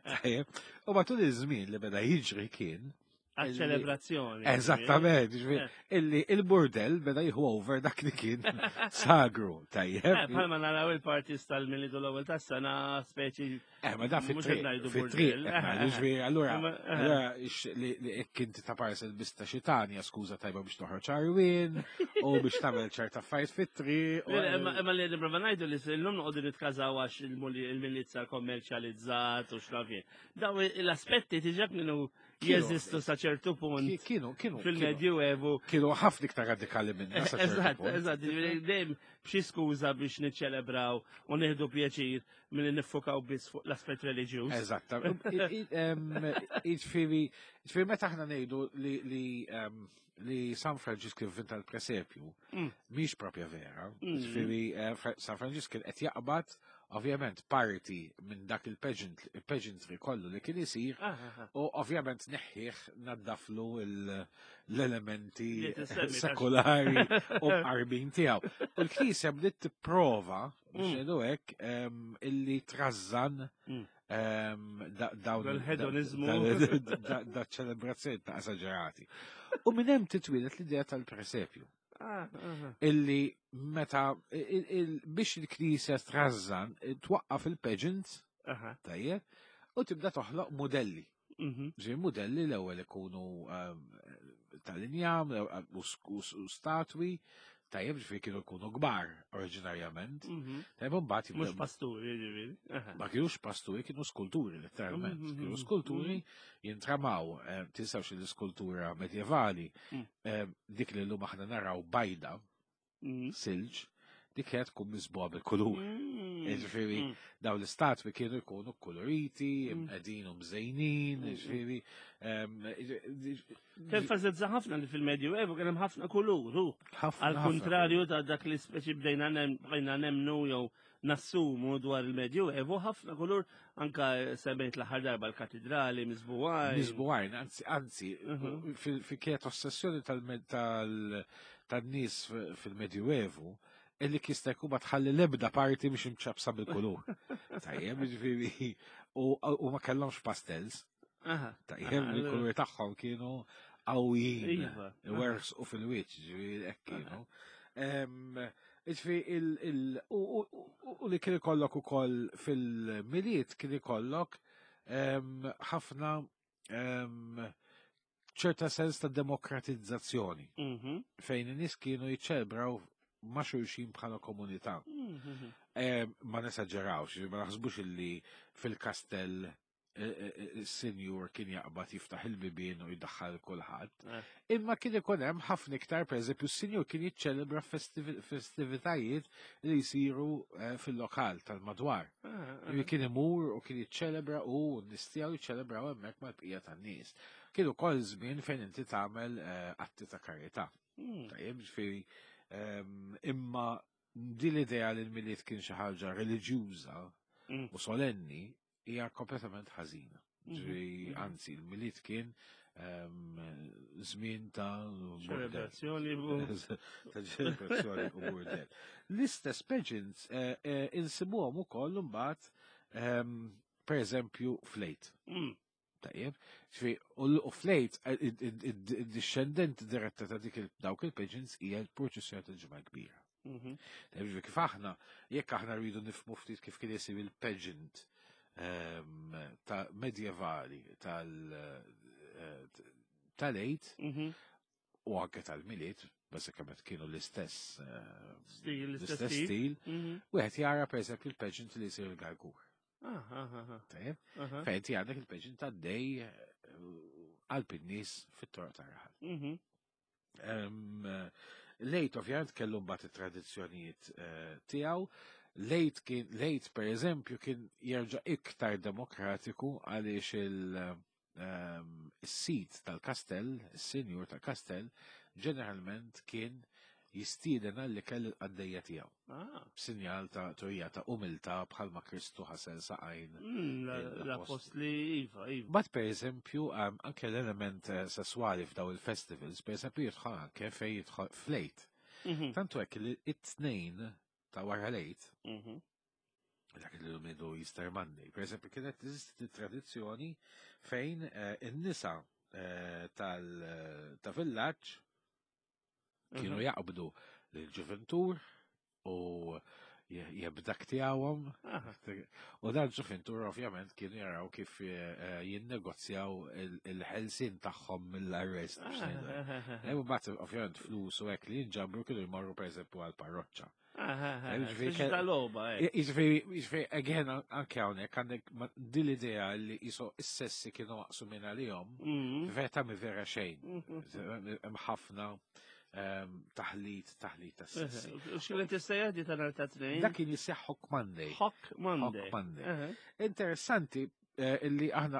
Tajjeb. U matul iż-żmien li beda jiġri kien
Għal-ċelebrazzjoni.
Eżattament, illi il-burdel beda jieħu over dak li kien sagru, tajjeb.
Bħalma naraw il-parties tal-Milied u l-ewwel tas-sena speċi.
Ma da fit-triq, fit-triq, ġifieri, allura, allura li jekk inti ta' parsa l-bista xitanja, skuża tajba biex toħroġ arwien u biex tagħmel ċerta affarijiet fit-triq.
Imma li nipprova ngħidu li llum noqogħdu nitkażaw għax il-Milied sar kommerċjalizzat u x'naf jien. Daw l-aspetti tiġa kienu jeżistu sa ċertu punt.
Kienu, kienu.
Fil-Medjuevu.
Kienu ħafna iktar radikali minna.
Eżatt, eżatt, dejjem b'xi skuża biex niċċelebraw u nieħdu pjaċir milli niffukaw biss fuq l-aspett reliġjuż.
Eżatt. Jiġifieri, jiġifieri meta aħna ngħidu li li San Franġisk inventa l-presepju, mhix propja vera. Jiġifieri San Franġisk kien qed jaqbad ovvjament parti minn dak il-pageantry kollu li kien isir u ovvjament neħħih naddaflu l-elementi sekulari u qarbin tiegħu. U l-Knisja bdiet tipprova biex ngħidu hekk illi trażżan dawn
il-hedonizmu
da ċelebrazzjoni ta' esaġerati. U minn hemm titwieled l-idea tal-presepju. Illi meta biex il-Knisja trażżan twaqqaf il-pageants, tajjeb, u tibda toħloq modelli. Ġej modelli l-ewwel ikunu tal-injam u statwi, tajjeb ġifieri kienu jkunu kbar oriġinarjament. Tajjeb imbagħad
jibdew. Mhux pasturi ġifieri.
Ma kienux pasturi, kienu skulturi letteralment. Kienu skulturi jintramaw, tinsawx l-iskultura medjevali, dik li llum aħna naraw bajda, silġ, dik kienet tkun misbuha bil-kulur. Ġifieri, daw l-istatwi kienu jkunu koloriti, qegħdin u mżejnin, ġifieri.
Tenfasizza ħafna li fil-Medju Evu kien hemm ħafna kulur, hu. Għal kontrarju ta' dak li speċi bdejna nemnu jew nassumu dwar il-Medju Evu, ħafna kulur anka semmejt l-aħħar darba l-katidrali miżbugħajn.
Miżbugħajn, anzi, anzi, fi kienet ossessjoni tan-nies fil-Medju Evu, illi jista' jkun ma tħalli l-ebda parti biex imċabsa bil-kulur. Tajjeb, ġifieri, u ma kellhomx pastels. Tajjeb, il-kulur tagħhom kienu qawwijin. Iwerħsqu fil-wiċċ, ġifieri hekk kienu. Ġifieri, u li kien ikollok ukoll fil-Milied kien ikollok ħafna ċerta sens ta' demokratizzazzjoni fejn in-nies kienu jiċċelebraw ma' xulxin bħala komunità. Ma nesaġġerawx, ma naħsbux illi fil-kastell Is-sinjur kien jaqbad jiftaħ il-bibien u jdaħħal kulħadd. Imma kien ikun hemm ħafna iktar, pereżempju, s-sinjur kien jiċċelebra festivitajiet li jsiru fil-lokal tal-madwar. Kien imur u kien jiċċelebra u n-nies tiegħu jiċċelebraw hemmhekk mal-bqija tan-nies. Kien ukoll żmien fejn inti tagħmel atti ta' karità. Tajjeb, ġifieri, imma din l-idea li l-Milied kien xi ħaġa reliġjuża u solenni hija kompletament ħażina. Ġifieri, anzi, il-Milied kien żmien ta'
ċelebrazzjoni
ta' ċelebrazzjoni u burdel. L-istess pageants insibuhom ukoll imbagħad pereżempju fl-Għid. Tajjeb, ġifieri, u fl-Għid id-dixxendent diretta ta' dik dawk il-pageants hija l-purċissjoni tal-Ġimgħa Kbira. Tajjeb, ġifieri kif aħna, jekk aħna rridu nifhmu ftit kif kien isir il-pageant ta' medjevali tal-Għid u anke tal-Milied, bażikament kienu l-istess
l-istess
stil, wieħed jara pereżempju il-pageant li jsir il-Gargur. Tajjeb, fejn ti għandek il-pageant tad-dej qalb in-nies fit-toroq tar-raħal. L-Għid ovvjament kellu mbagħad it-tradizzjonijiet tiegħu. L-Għid kien, l-Għid pereżempju kien jerġa' iktar demokratiku għaliex il-sit tal-kastell, is-sinjur tal-kastell, ġeneralment kien jistieden għall-ikel il-qaddejja tiegħu. Sinjal ta' turija ta' umiltà bħalma Kristu ħasel saqajn
L-apostli, iva, iva.
But per eżempju, anke l-element sessuali f'daw il-festivals, per eżempju, jidħol anke fej jidħol fl-Għid. Tantu hekk li it-tnejn ta' wara l-Għid, dak li l-midu Easter Monday, per eżempju, kienet teżisti tradizzjoni fejn in-nisa ta' villaġġ kienu jaqbdu l-ġuventur u jebdak tiegħhom. U dan ġuventur ovvjament kienu jaraw kif jinnegozjaw il-ħelsin tagħhom mill-arrest. U mbagħad ovvjament flus u hekk li jinġabru kienu jmorru pereżempju għall-parroċċa. Jiġifieri, again, anke hawnhekk għandek din l-idea li jiso s-sessi kienu waqsu minn għalihom, vera mi vera xejn. Hemm ħafna taħlit, taħlit ta' sessi.
X'kien tista' jgħid ta' nhar ta' tnejn?
Dak kien jisseħ Hock Monday.
Hock Monday.
Hock Monday. Interessanti illi aħna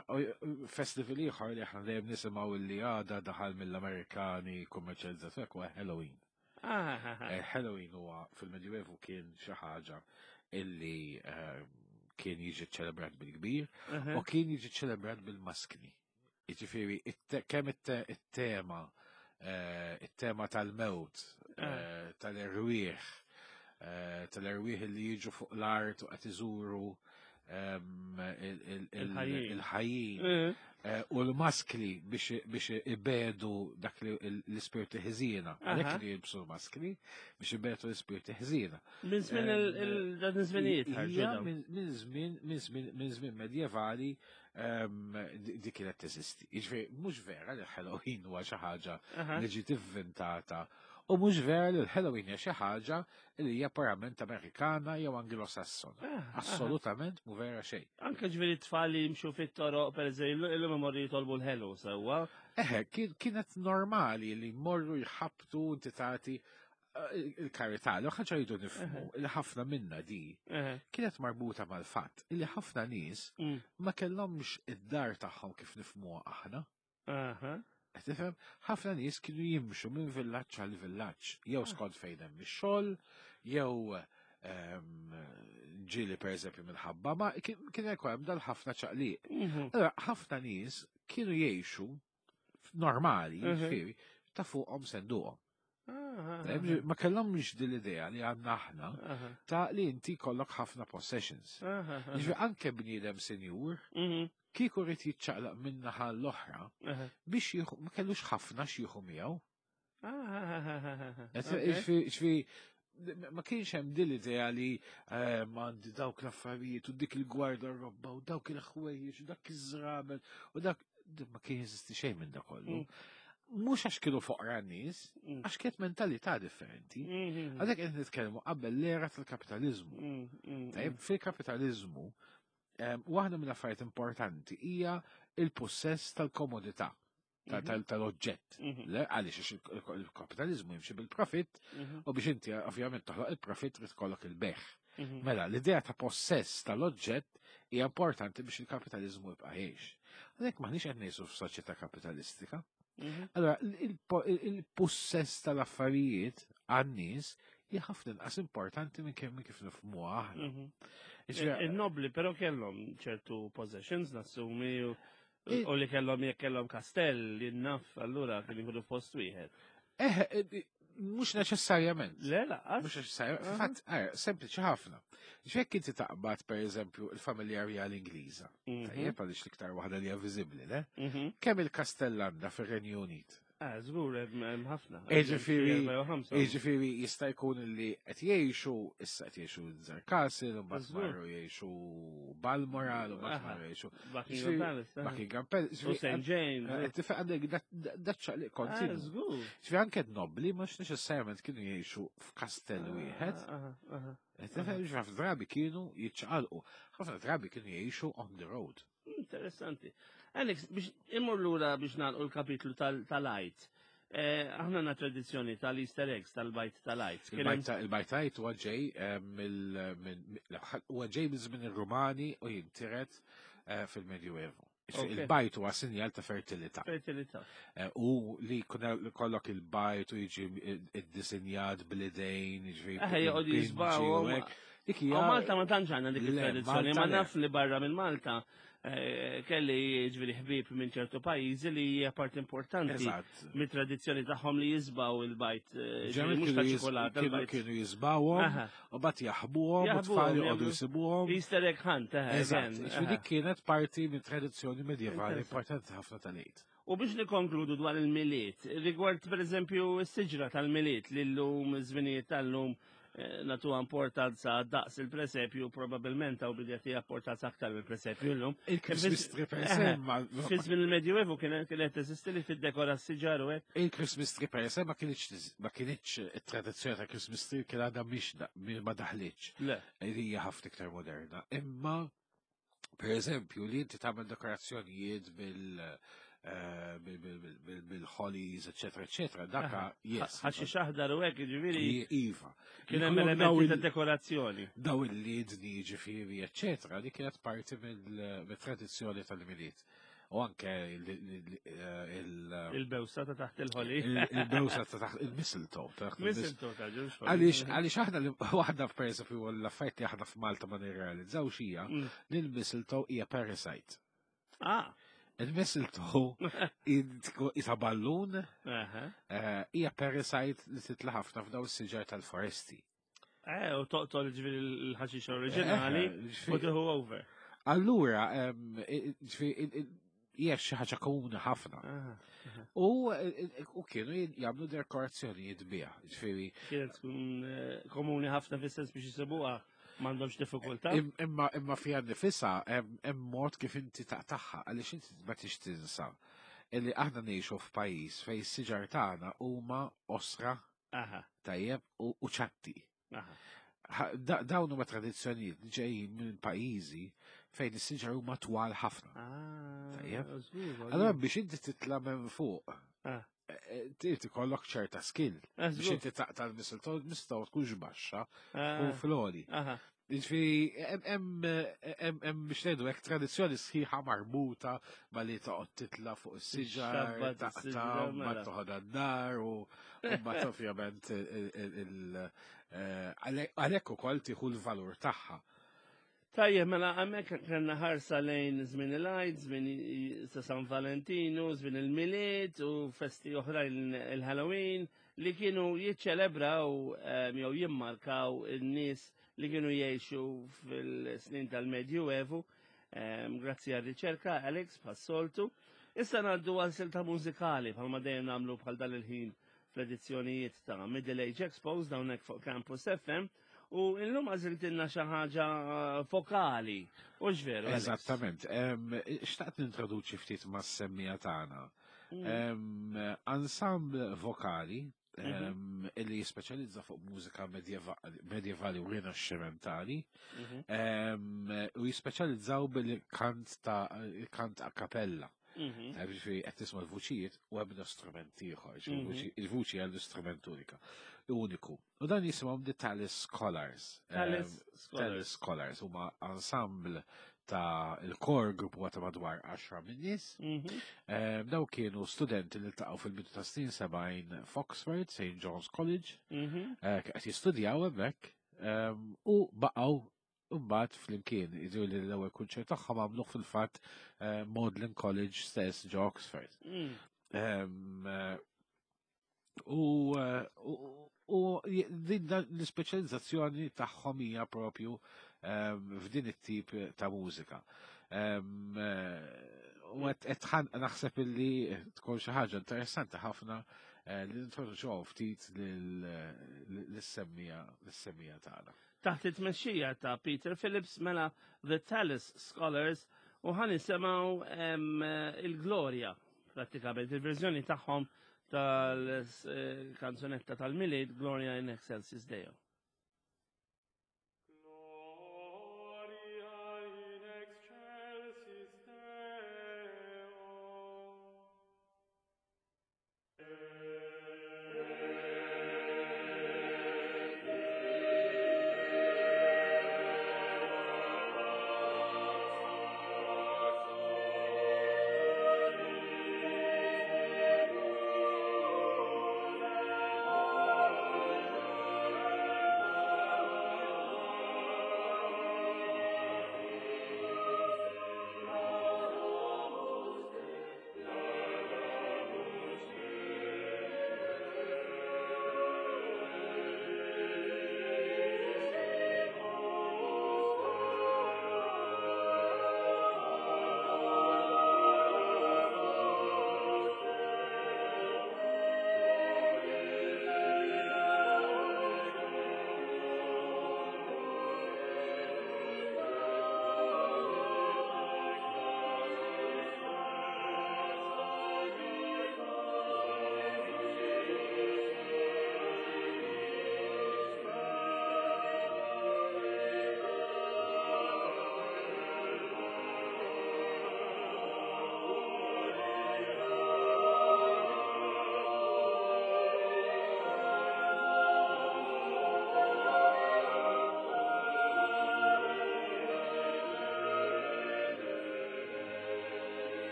festival ieħor li aħna dejjem nisimgħu illi għada daħal mill-Amerikani kummerċjalizzat hekk huwa Halloween. Halloween huwa fil-Medjuevu kien xi ħaġa illi kien jiġi ċelebrat bil-kbir u kien jiġi ċelebrat bil-maskni. Jiġifieri kemm it-tema tal-mewt, tal-erwieħ, tal-erwieħ li jiġu fuq l-art u qed iżuru il-ħajjin. U l-maskli biex ibedu dak li l-ispirti ħżiena. Għalhekk kienu jilbsu l-maskli biex ibedu l-ispirti ħżiena.
Minn żmien dan iż-żminijiet ħarġu
Hija
dawn.
minn żmien medjevali di kienet teżisti. Jiġifieri mhux vera li Halloween huwa xi ħaġa li ġiet ivvintata u mhux vera li l-Halloween hija xi ħaġa li hija purament Amerikana jew Anglosassona. Assolutament mhu vera xejn.
Anke ġifieri t-tfal li jimxu fit-toroq, pereżempju, illum imorru jitolbu l-ħelu sewwa.
Eħe, kienet normali li jmorru jħabtu inti tagħti il-karità, l ħaġa jridu nifhmu li ħafna minna di kienet marbuta mal-fatt li ħafna nies ma kellhomx id-dar tagħhom kif nifhmuha aħna. Qed tifhem? Ħafna nies kienu jimxu minn villaġġ għal villaġġ, jew skont fejn hemm ix-xogħol, jew ġieli pereżempju minħabba ma kien hemm hemm dal-ħafna ċaqliq. Allora ħafna nies kienu jgħixu normali, ġifieri, ta' fuqhom senduqhom. Tajjeb, ma kellhomx din l-idea li għandna aħna ta' li inti kollok ħafna possessions. Ġifieri anke bniedem senjur, kieku rrid jiċċaqlaq minn naħa l-oħra biex jieħu, ma kellux ħafna x'jieħu miegħu. Ġifieri, ma kienx hemm din l-idea li m'għandi dawk l-affarijiet u dik il-gwardarobba u dawk il-ħwejjeġ u dak iż-żraben u dak ma kien jeżisti xejn minn dak kollu. Mhux għax kienu foqra n-nies, għax kienet mentalità differenti. Għalhekk qed nitkellmu qabel l-era tal-kapitaliżmu. Tajjeb, fil-kapitaliżmu Waħda mill-affarijiet importanti hija il-possess tal-komodità mhm. tal-oġġett. Mhm. Le, għaliex il-kapitalizmu jimxi bil-profitt mhm. u biex inti ovvjament toħloq il-profitt trid kollok il-beħ. Mela, l-idea ta' possess tal-oġġett hija importanti biex il-kapitalizmu jibqa' jgħix. Għalhekk maħniex qed ngħixu f'soċjetà kapitalistika. Allora, il-possess tal-affarijiet għan-nies hija ħafna inqas importanti minn kemm kif nifhmuha aħna.
Il-nobli però kellhom ċertu possessions nassumi u li kellhom jekk kellhom kastell li naf allura kien jieħdu post wieħed.
Eh, eh mhux neċessarjament.
Le, laqas.
Mhux neċessarjament. Fatt, eh, sempliċi ħafna. Ġekk inti taqbad pereżempju il-familja rjali Ingliża. Mhm. Tajjeb għaliex l-iktar waħda li hija viżibbli, le? Mhm. Kemm il-kastell għandha fir-Renju Unit?
Ah, żgur hemm ħafna.
Jiġifieri jiġifieri jista' jkun li qed jgħixu issa qed jgħixu Windsor Castle, u mbagħad marru jgħixu Balmoral, u mbagħad marru jgħixu
Buckingham Palace. Eh.
Buckingham Palace.
U St. James.
Eh, tifhem għandek daċċaq li kontinu.
Ah, żgur.
Ġifieri anke nobli mhux neċessarjament kienu jgħixu f'kastell ah, wieħed. Tifhem ħafna drabi kienu jiċċaqalqu. Ħafna drabi kienu jgħixu on the road.
Interessanti. Alex, biex immur lura biex nagħlqu l-kapitlu tal-għajt. Eh, aħna na tradizzjoni tal-Easter eggs, tal-bajt tal-għajt.
Il-bajt tal-għajt huwa ġej eh, huwa ġej minn żmien ir-Rumani u jintiret eh, fil-Medjuevu. Il-bajt huwa sinjal ta' fertilità.
Fertilità.
U li kollok il-bajt u jiġi id-disinjat bl-idejn, jiġri.
Joqgħod jisbaw.
Dik hija.
Malta ma tantx għandna dik it-tradizzjoni, ma naf li barra minn Malta eh, kelli ġifieri ħbieb minn ċertu pajjiżi li hija parti importanti mit-tradizzjoni tagħhom li jisbaw il-bajt. Eh, mhux ta' ċikolata.
Kienu jisbawhom u bat jaħbuhom u tfal joqogħdu jsibuhom.
Easter egg hunt, eh,
Eżatt, dik kienet parti minn tradizzjoni medjevali importanti ħafna tal-għid.
U biex nikkonkludu dwar il-Milied, rigward pereżempju s-siġra tal-Milied li llum iż-żminijiet tal-lum eh, nagħtuha importanza daqs il-presepju probabbilment hawn bidja tiegħha importanza aktar mill-presepju llum.
Il-Christmas tree per se ma
Fi żmien il-Medjuevu kienet kienet teżisti li tiddekora s-siġar u hekk.
Il-Christmas tree per se ma kienx ma kienx it-tradizzjoni ta' Christmas tree kien għadha mhix ma daħlitx.
Le.
Hija ħafna iktar moderna. Imma Per eżempju, li inti tagħmel dekorazzjonijiet bil eh, bil-hollies, eccetera, eccetera, daka, yes.
Għaxi xaħdar u hekk, ġifieri.
Iva.
Kien hemm elementi ta' dekorazzjoni.
Daw il-lidni, ġifieri, eccetera, li kienet parti mill-tradizzjoni tal-miliet. U anke il-
Il-bewsa ta' taħt il-ħoli.
Il-bewsa ta' taħt il-mistletoe. taħt
il-Mistletoe ta' ġewx.
Għaliex għaliex aħna li waħda f'pereżempju l-affarijiet li aħna f'Malta ma nirrealizzawx hija mm. li l-mistletoe hija parasite.
Ah.
Il-mistletoe isa ballun eh, hija parasite li titla' ħafna f'daw is-siġar tal-foresti.
Eh, u toqtol ġifieri l-ħaxix oriġinali eh, u tieħu over.
Allura, ġifieri hija xi ħaġa komuni ħafna. U u kienu jagħmlu dekorazzjonijiet biha, ġifieri.
Kienet tkun eh, komuni ħafna fis-sens biex jisibuha m'għandhomx diffikultà.
Imma imma fiha nifisha hemm mod kif inti taqtagħha għaliex inti ma tix tinsa illi aħna ngħixu f'pajjiż fejn is-siġar tagħna huma osra Tajjeb u ċatti. Dawn huma tradizzjonijiet li ġejjin minn pajjiżi fejn is-siġar huma twal ħafna.
Ah,
Tajjeb. Allora biex inti titla' minn fuq, ah. eh, eh, trid ikollok ċerta skill ah, biex inti taqta' l-mistletoe, mistletoe tkunx baxxa u flori. Ġifieri, hemm biex ngħidu hekk tradizzjoni sħiħa marbuta ma li toqgħod titla' fuq is-siġar, taqta' ma mela. toħodha d-dar u mbagħad ovvjament eh, għalhekk ukoll tieħu l-valur tagħha.
Tajjeb, mela hemmhekk kellna ħarsa lejn żmien il-Għid, żmien sa San Valentinu, żmien il-Milied u festi oħrajn il-Halloween li kienu jiċċelebraw eh, jew jimmarkaw in-nies li kienu jgħixu fil-snin tal-Medjuevu, ehm, grazzi għal riċerka Alex bħas-soltu. Issa ngħaddu għal silta mużikali bħalma dejjem nagħmlu bħal dan il-ħin fl-edizzjonijiet ta' Middle Age Expos hawnhekk fuq Campus FM u illum għażiltilna xi ħaġa eh, fokali. U veru.
Eżattament. Xtaqt nintroduċi ftit mas-semmija tagħna. Mm. Ensemble vokali. Illi jispeċjalizza fuq mużika medjevali u rinaxximentali u jispeċjalizzaw bil-kant ta' kant a cappella. Tajb, ġifieri qed tisma' l-vuċijiet u ebda strument ieħor, ġifieri il-vuċi hija l-istrument unika. Uniku. U dan jisimhom The Tallis Scholars.
Tallis Scholars.
Tallis Scholars huma ensemble ta' il-core group huwa ta' madwar 10 minn nies. Daw kienu studenti li ltaqgħu fil-bidu ta' snin 70 f'Oxford, St. John's College, qed jistudjaw hemmhekk, u baqgħu mbagħad flimkien, jiġu li l-ewwel kunċert tagħhom għamluh fil-fatt Magdalen College stess ġo Oxford. U din l-ispeċjalizzazzjoni tagħhom hija propju f'din it-tip ta' mużika. U qed naħseb illi tkun xi ħaġa interessanti ħafna li nintroduċuha ftit lis-semmija tagħna.
Taħt it-tmexxija ta' Peter Phillips mela The Tallis Scholars u ħa nisimgħu il-Gloria prattikament il-verżjoni tagħhom tal-kanzunetta tal-Milied Gloria in Excelsis Deo.
Gloria in excelsis Deo.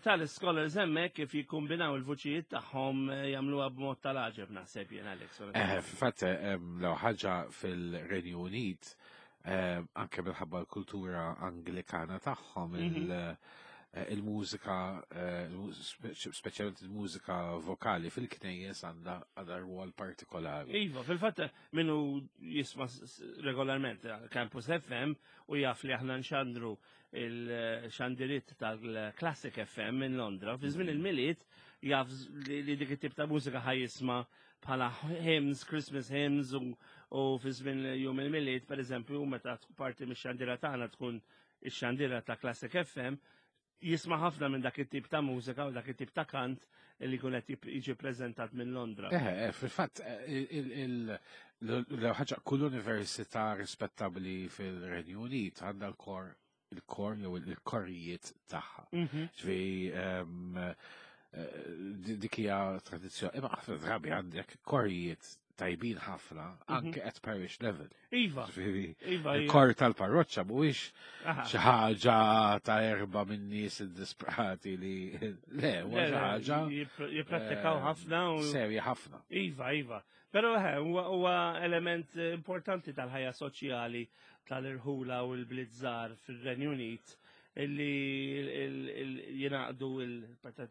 Tallis Scholars hemmhekk kif jikkombinaw il-vuċijiet tagħhom jagħmluha b'mod tal-għaġeb naħseb jien Alex.
Fil-fatt, l ħaġa fil-Renju Unit, anke minħabba l-kultura Anglikana tagħhom, il-mużika, speċjalment il-mużika vokali fil-knejjes għandha għandha rwol partikolari.
Iva, fil-fatt minnu jisma regolarment Campus FM u jaf li aħna nxandru il-xandiriet tal-Classic FM minn Londra. Fi żmien il-Milied jaf li dik it-tip ta' mużika ħaj jisma' bħala hymns, Christmas hymns u fi żmien jum il-Milied, per eżempju, meta parti mix-xandira tagħna tkun ix-xandira ta' Classic FM, jisma' ħafna minn dak it-tip ta' mużika u dak it-tip ta' kant li jkun qed jiġi preżentat minn Londra.
Eh, eh fil-fatt eh, l-ħaġa kull università rispettabbli fil-Renju Unit għandha l-kor il-kor jew il-korijiet tagħha. Mhm. Ġifieri ehm, eh, dik hija tradizzjoni. Imma ħafna drabi għandek korijiet tajbin ħafna mhm. anke at parish level.
Iva.
Iva. Il-kor tal-parroċċa mhuwiex xi ħaġa ta' erba' minn nies iddisprati li le huwa xi ħaġa.
Jipprattikaw eh, ħafna
u serja ħafna.
Iva, iva. Però eh, huwa element importanti tal-ħajja soċjali tal-irħula u l-blizzar fil-Renju Unit illi jinaqdu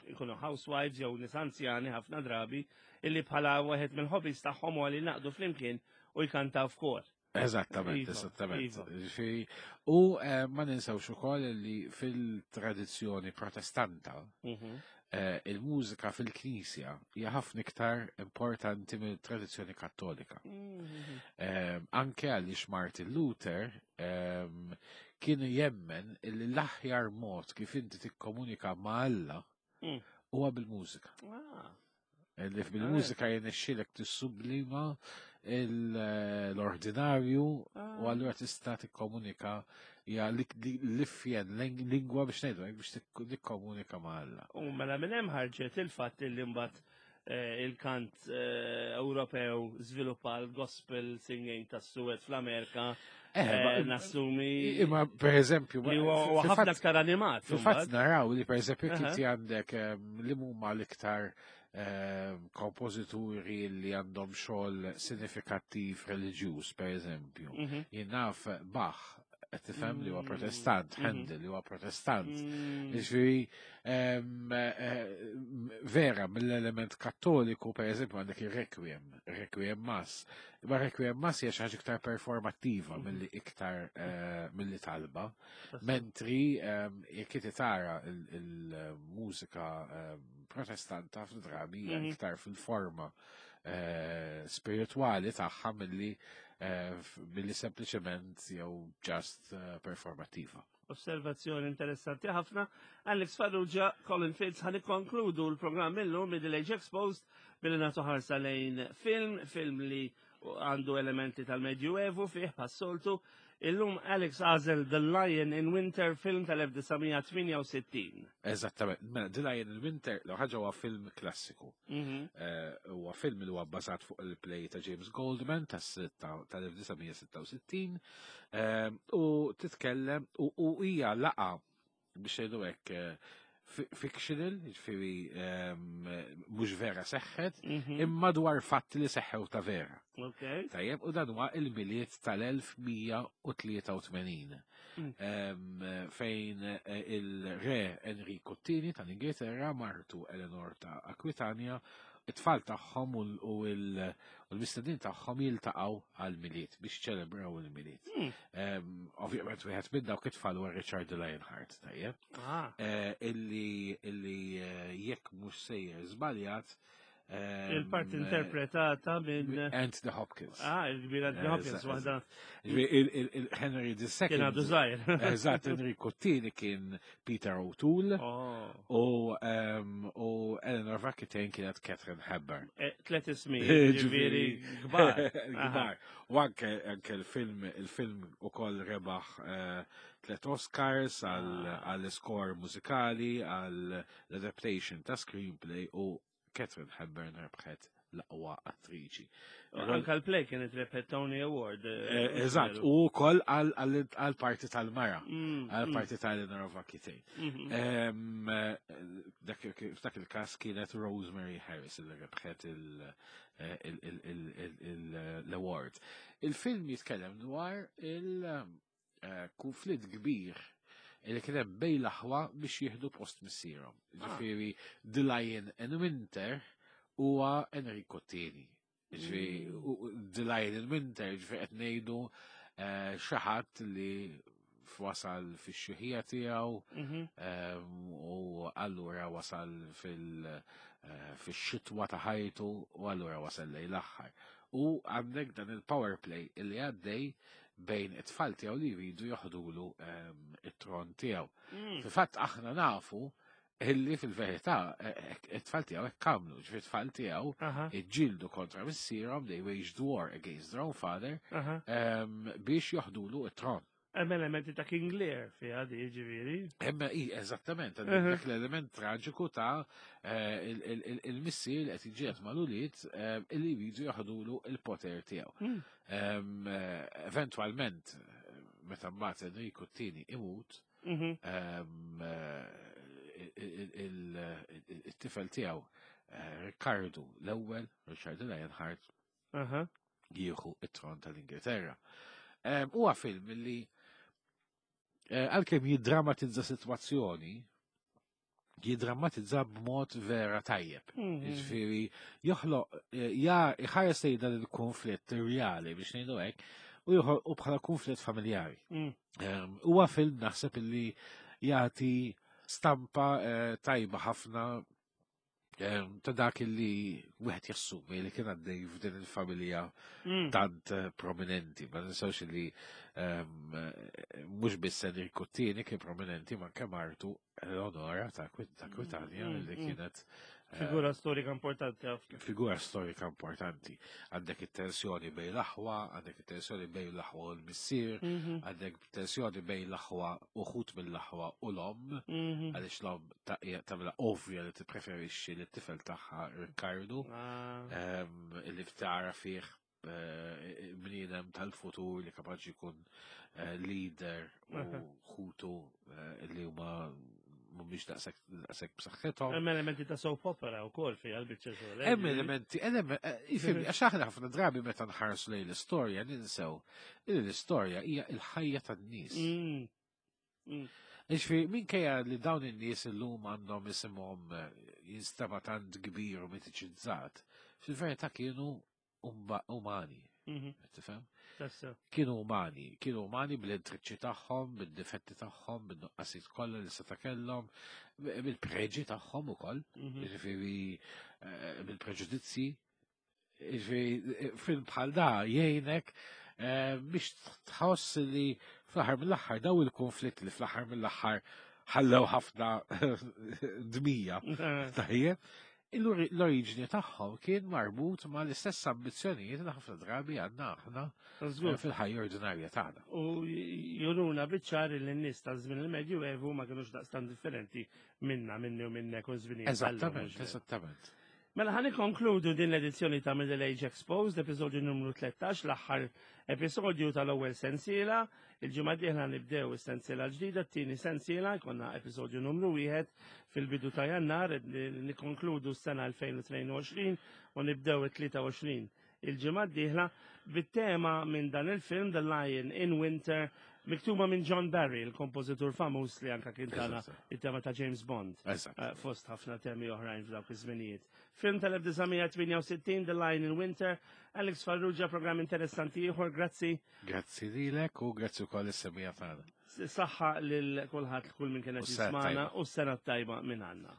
ikunu housewives jew nies anzjani ħafna drabi illi bħala wieħed mill-hobbies tagħhom huwa li naqdu flimkien u jkantaw f'kor.
Eżattament, iva, eżattament. Iva. U eh, ma ninsewx ukoll li fil-tradizzjoni protestanta mhm. eh, il-mużika fil-knisja hija ħafna iktar importanti mill-tradizzjoni kattolika. Mhm. Eh, anke għaliex Martin Luther ehm, kienu jemmen li l-aħjar mod kif inti tikkomunika ma' Alla mm. huwa bil-mużika. Ah. Li bil-mużika jenexxilek tissublima l-ordinarju u ah. allura tista' tikkomunika hija l-ifjen lingwa biex ngħidu biex tikkomunika ma' Alla.
U mela minn hemm ħarġet il-fatt li mbagħad eh, il-kant eh, Ewropew żviluppa l-gospel singing tas-Suwed fl-Amerika. Eh, nassumi.
Imma per eżempju,
li huwa ħafna aktar animat.
Fil-fatt naraw li per eżempju inti għandek li huma l-iktar kompożituri li għandhom xogħol sinifikattiv reliġjuż, per eżempju. Mhm. Jien naf Bach, qed tifhem li huwa mm. protestant, mhm. Handel li huwa protestant. Mm. Jiġifieri eh, vera mill-element kattoliku pereżempju għandek ir-requiem, requiem mass. Imma requiem mass hija xi ħaġa iktar performattiva mhm. milli iktar eh, milli talba. Mentri jekk inti tara il-mużika protestanta ħafna drabi hija mhm. iktar fil-forma eh, spirituali tagħha milli eh, milli sempliċement jew just eh, performattiva.
Osservazzjoni interessanti ħafna. Alex Farrugia, Colin Fitz, ħan ikkonkludu l-programm illum Middle Age Exposed billi nagħtu ħarsa lejn film, film li għandu elementi tal-Medjuevu fih passoltu. Illum Alex għażel The Lion in Winter film tal-1968.
Eżattament, mela The Lion in Winter l ħaġa huwa film klassiku. Mhm. Eh, huwa film li huwa bbażat fuq il-play ta' James Goldman tas-1966 eh, u titkellem u hija laqa biex ngħidu hekk eh, fictional, ġifieri ehm, mhux vera seħħet, mhm. imma dwar fatti li seħħew ta' vera. Tajjeb, u dan huwa il-miliet tal-1183. Mm. Ehm, fejn eh, il-re Enrico II tal-Ingilterra martu Eleanor ta' Aquitania it-tfal tagħhom u l-mistednin tagħhom jiltaqgħu għal-miliet biex ċelebraw il-miliet. Hmm. Ovvjament wieħed minn dawk it-tfal huwa Richard Lionheart, tajjeb. Ah. Eh, illi illi eh, jekk mhux sejjer żbaljat
Il-parti interpretata minn
Anthony Hopkins.
Ah, il-kbir Anthony Hopkins, waħda.
Il-Henry II.
Kien għadu żgħir.
Eżatt, Henry Cottini kien Peter O'Toole oh. u u Eleanor Vakitane kienet Catherine Hepburn.
Eh, tlet ismi, ġifieri kbar.
Kbar. U anke anke il-film il-film ukoll rebaħ eh, tlet Oscars ah. għall-score mużikali, għall-adaptation ta' screenplay u Catherine Hepburn rebħet l-aqwa attriċi.
Anka l-play kienet rebħet Tony Award. Eh,
eh, eżatt, u wkoll għal-parti tal-mara, mm, għal-parti mm. tal-Eleanor of Aquitaine. Mm-hmm. Eh, f'dak il-każ kienet Rosemary Harris li rebħet l-award. Il-film jitkellem dwar il- konflitt kbir li kien hemm bejn l-aħwa biex jieħdu post missierhom. Ah. Ġifieri The Lion in Winter huwa Enrico Tieni. Ġifieri mm. The Lion in Winter ġifieri qed ngħidu eh, xi ħadd li wasal fix-xjuħija tiegħu mhm. ehm, u allura wasal fil- eh, fix-xitwa ta' ħajtu u allura wasal lejn l-aħħar. U għandek dan il-power play illi għaddej bejn it-tfal tiegħu li jridu joħdulu ehm, it-tron tiegħu. Mm. Fil-fatt aħna nafu illi fil-verità eh, eh, it-tfal tiegħu hekk għamlu, ġifier it-tfal tiegħu iġġieldu kontra missierhom, they waged war against their own father ehm, biex joħdulu it-tron.
Hemm elementi ta' King Lear fiha di ġifieri.
Hemm i eżattament, dak l-element traġiku ta' eh, il-missier li qed jiġġieled mal-ulied eh, illi jridu jaħdulu il-poter tiegħu. Hmm. Ehm, eh, eventwalment, meta mbagħad Enrico t-tieni imut, mhm. ehm, il-tifel tiegħu Riccardo l-ewwel, Richard Lionheart, jieħu it-tron tal-Ingilterra. Huwa film li eh, għalkemm jiddramatizza sitwazzjoni, jiddramatizza b'mod vera tajjeb. Mhm. Jiġifieri joħloq eh, ja jħares lejn dan il-konflitt reali biex ngħidu hekk u joħolqu bħala konflitt familjari. Mm. Huwa film naħseb illi jagħti stampa eh, tajba ħafna ta' dak li wieħed jassumi li kien għaddej f'din il-familja mm. tant eh, prominenti. Ma ninsawx li eh, mhux biss Enrico Tieni kien prominenti ma anke martu Eleonora ta' Kwitanja mm, li mm. kienet
eh, Figura storika importanti
ħafna. Figura storika importanti. Għandek it-tensjoni bejn l-aħwa, għandek it-tensjoni bejn l-aħwa u l-missier, mhm. għandek tensjoni bejn l-aħwa uħut mill-aħwa u l-om, mhm. għaliex l-om tagħmilha ovvja li tippreferixxi li t-tifel tagħha Riccardo, ah. ehm, li tara fih eh, bniedem tal-futur li kapaċi jkun eh, leader u ħutu eh, li huma mhumiex daqshekk b'saħħithom.
Hemm elementi ta' soap opera wkoll fiha l-biċċa
xogħol. Hemm elementi, ifhimni, għax aħna ħafna drabi meta nħarsu lejn l-istorja ninsew li l-istorja hija l-ħajja tan-nies. Mm. Mm. Ġifieri, minkejja li dawn in-nies illum għandhom isimhom eh, jinstema tant kbir u mitiċizzat, fil-verità kienu umani. Mhm. Tifhem? Kienu umani, kienu umani bl-intriċċi tagħhom, bil-difetti tagħhom, bin-nuqqasijiet kollha li seta' kellhom, bil-preġi tagħhom ukoll, mhm. jiġifieri eh, bil-preġudizzji. Jiġifieri film bħal da jgħinek eh, biex tħoss li fl-aħħar mill-aħħar daw il-konflitt li fl-aħħar mill-aħħar ħallew ħafna dmija. Tajjeb, l-oriġni tagħhom kien marbut ma l-istess ambizzjonijiet li ħafna drabi għandna aħna eh, fil-ħajja ordinarja tagħna.
U juruna biċ-ċar li n-nies ta' żmien il-Medju Evu ma kinux daqstan differenti minna, minni u minnek u żmien.
Eżattament, eżattament.
Mela ħan konkludu din l-edizzjoni ta' Middle Age Exposed, episodju numru 13, l-aħħar episodju tal-ewwel sensiela. Il-ġimgħa dieħla nibdew is-sensiela l-ġdida, t-tieni sensiela, jkollna episodju numru wieħed fil-bidu ta' Jannar, nikkonkludu s-sena 2022 u nibdew it-23 il-ġimgħa d-dieħla bit-tema minn dan il-film The Lion in Winter miktuba minn John Barry, il-kompożitur famuż li anka kien tana it-tema ta' James Bond. Eh, fost ħafna temi oħrajn f'dawk iż-żminijiet. Film tal-1968 The Lion in Winter, Alex Farrugia, programm interessanti ieħor, grazzi.
Grazzi lilek u grazzi wkoll is-semija tagħna.
Saħħa lil kulħadd kull min kien qed jismana u s-sena tajba minn għandna.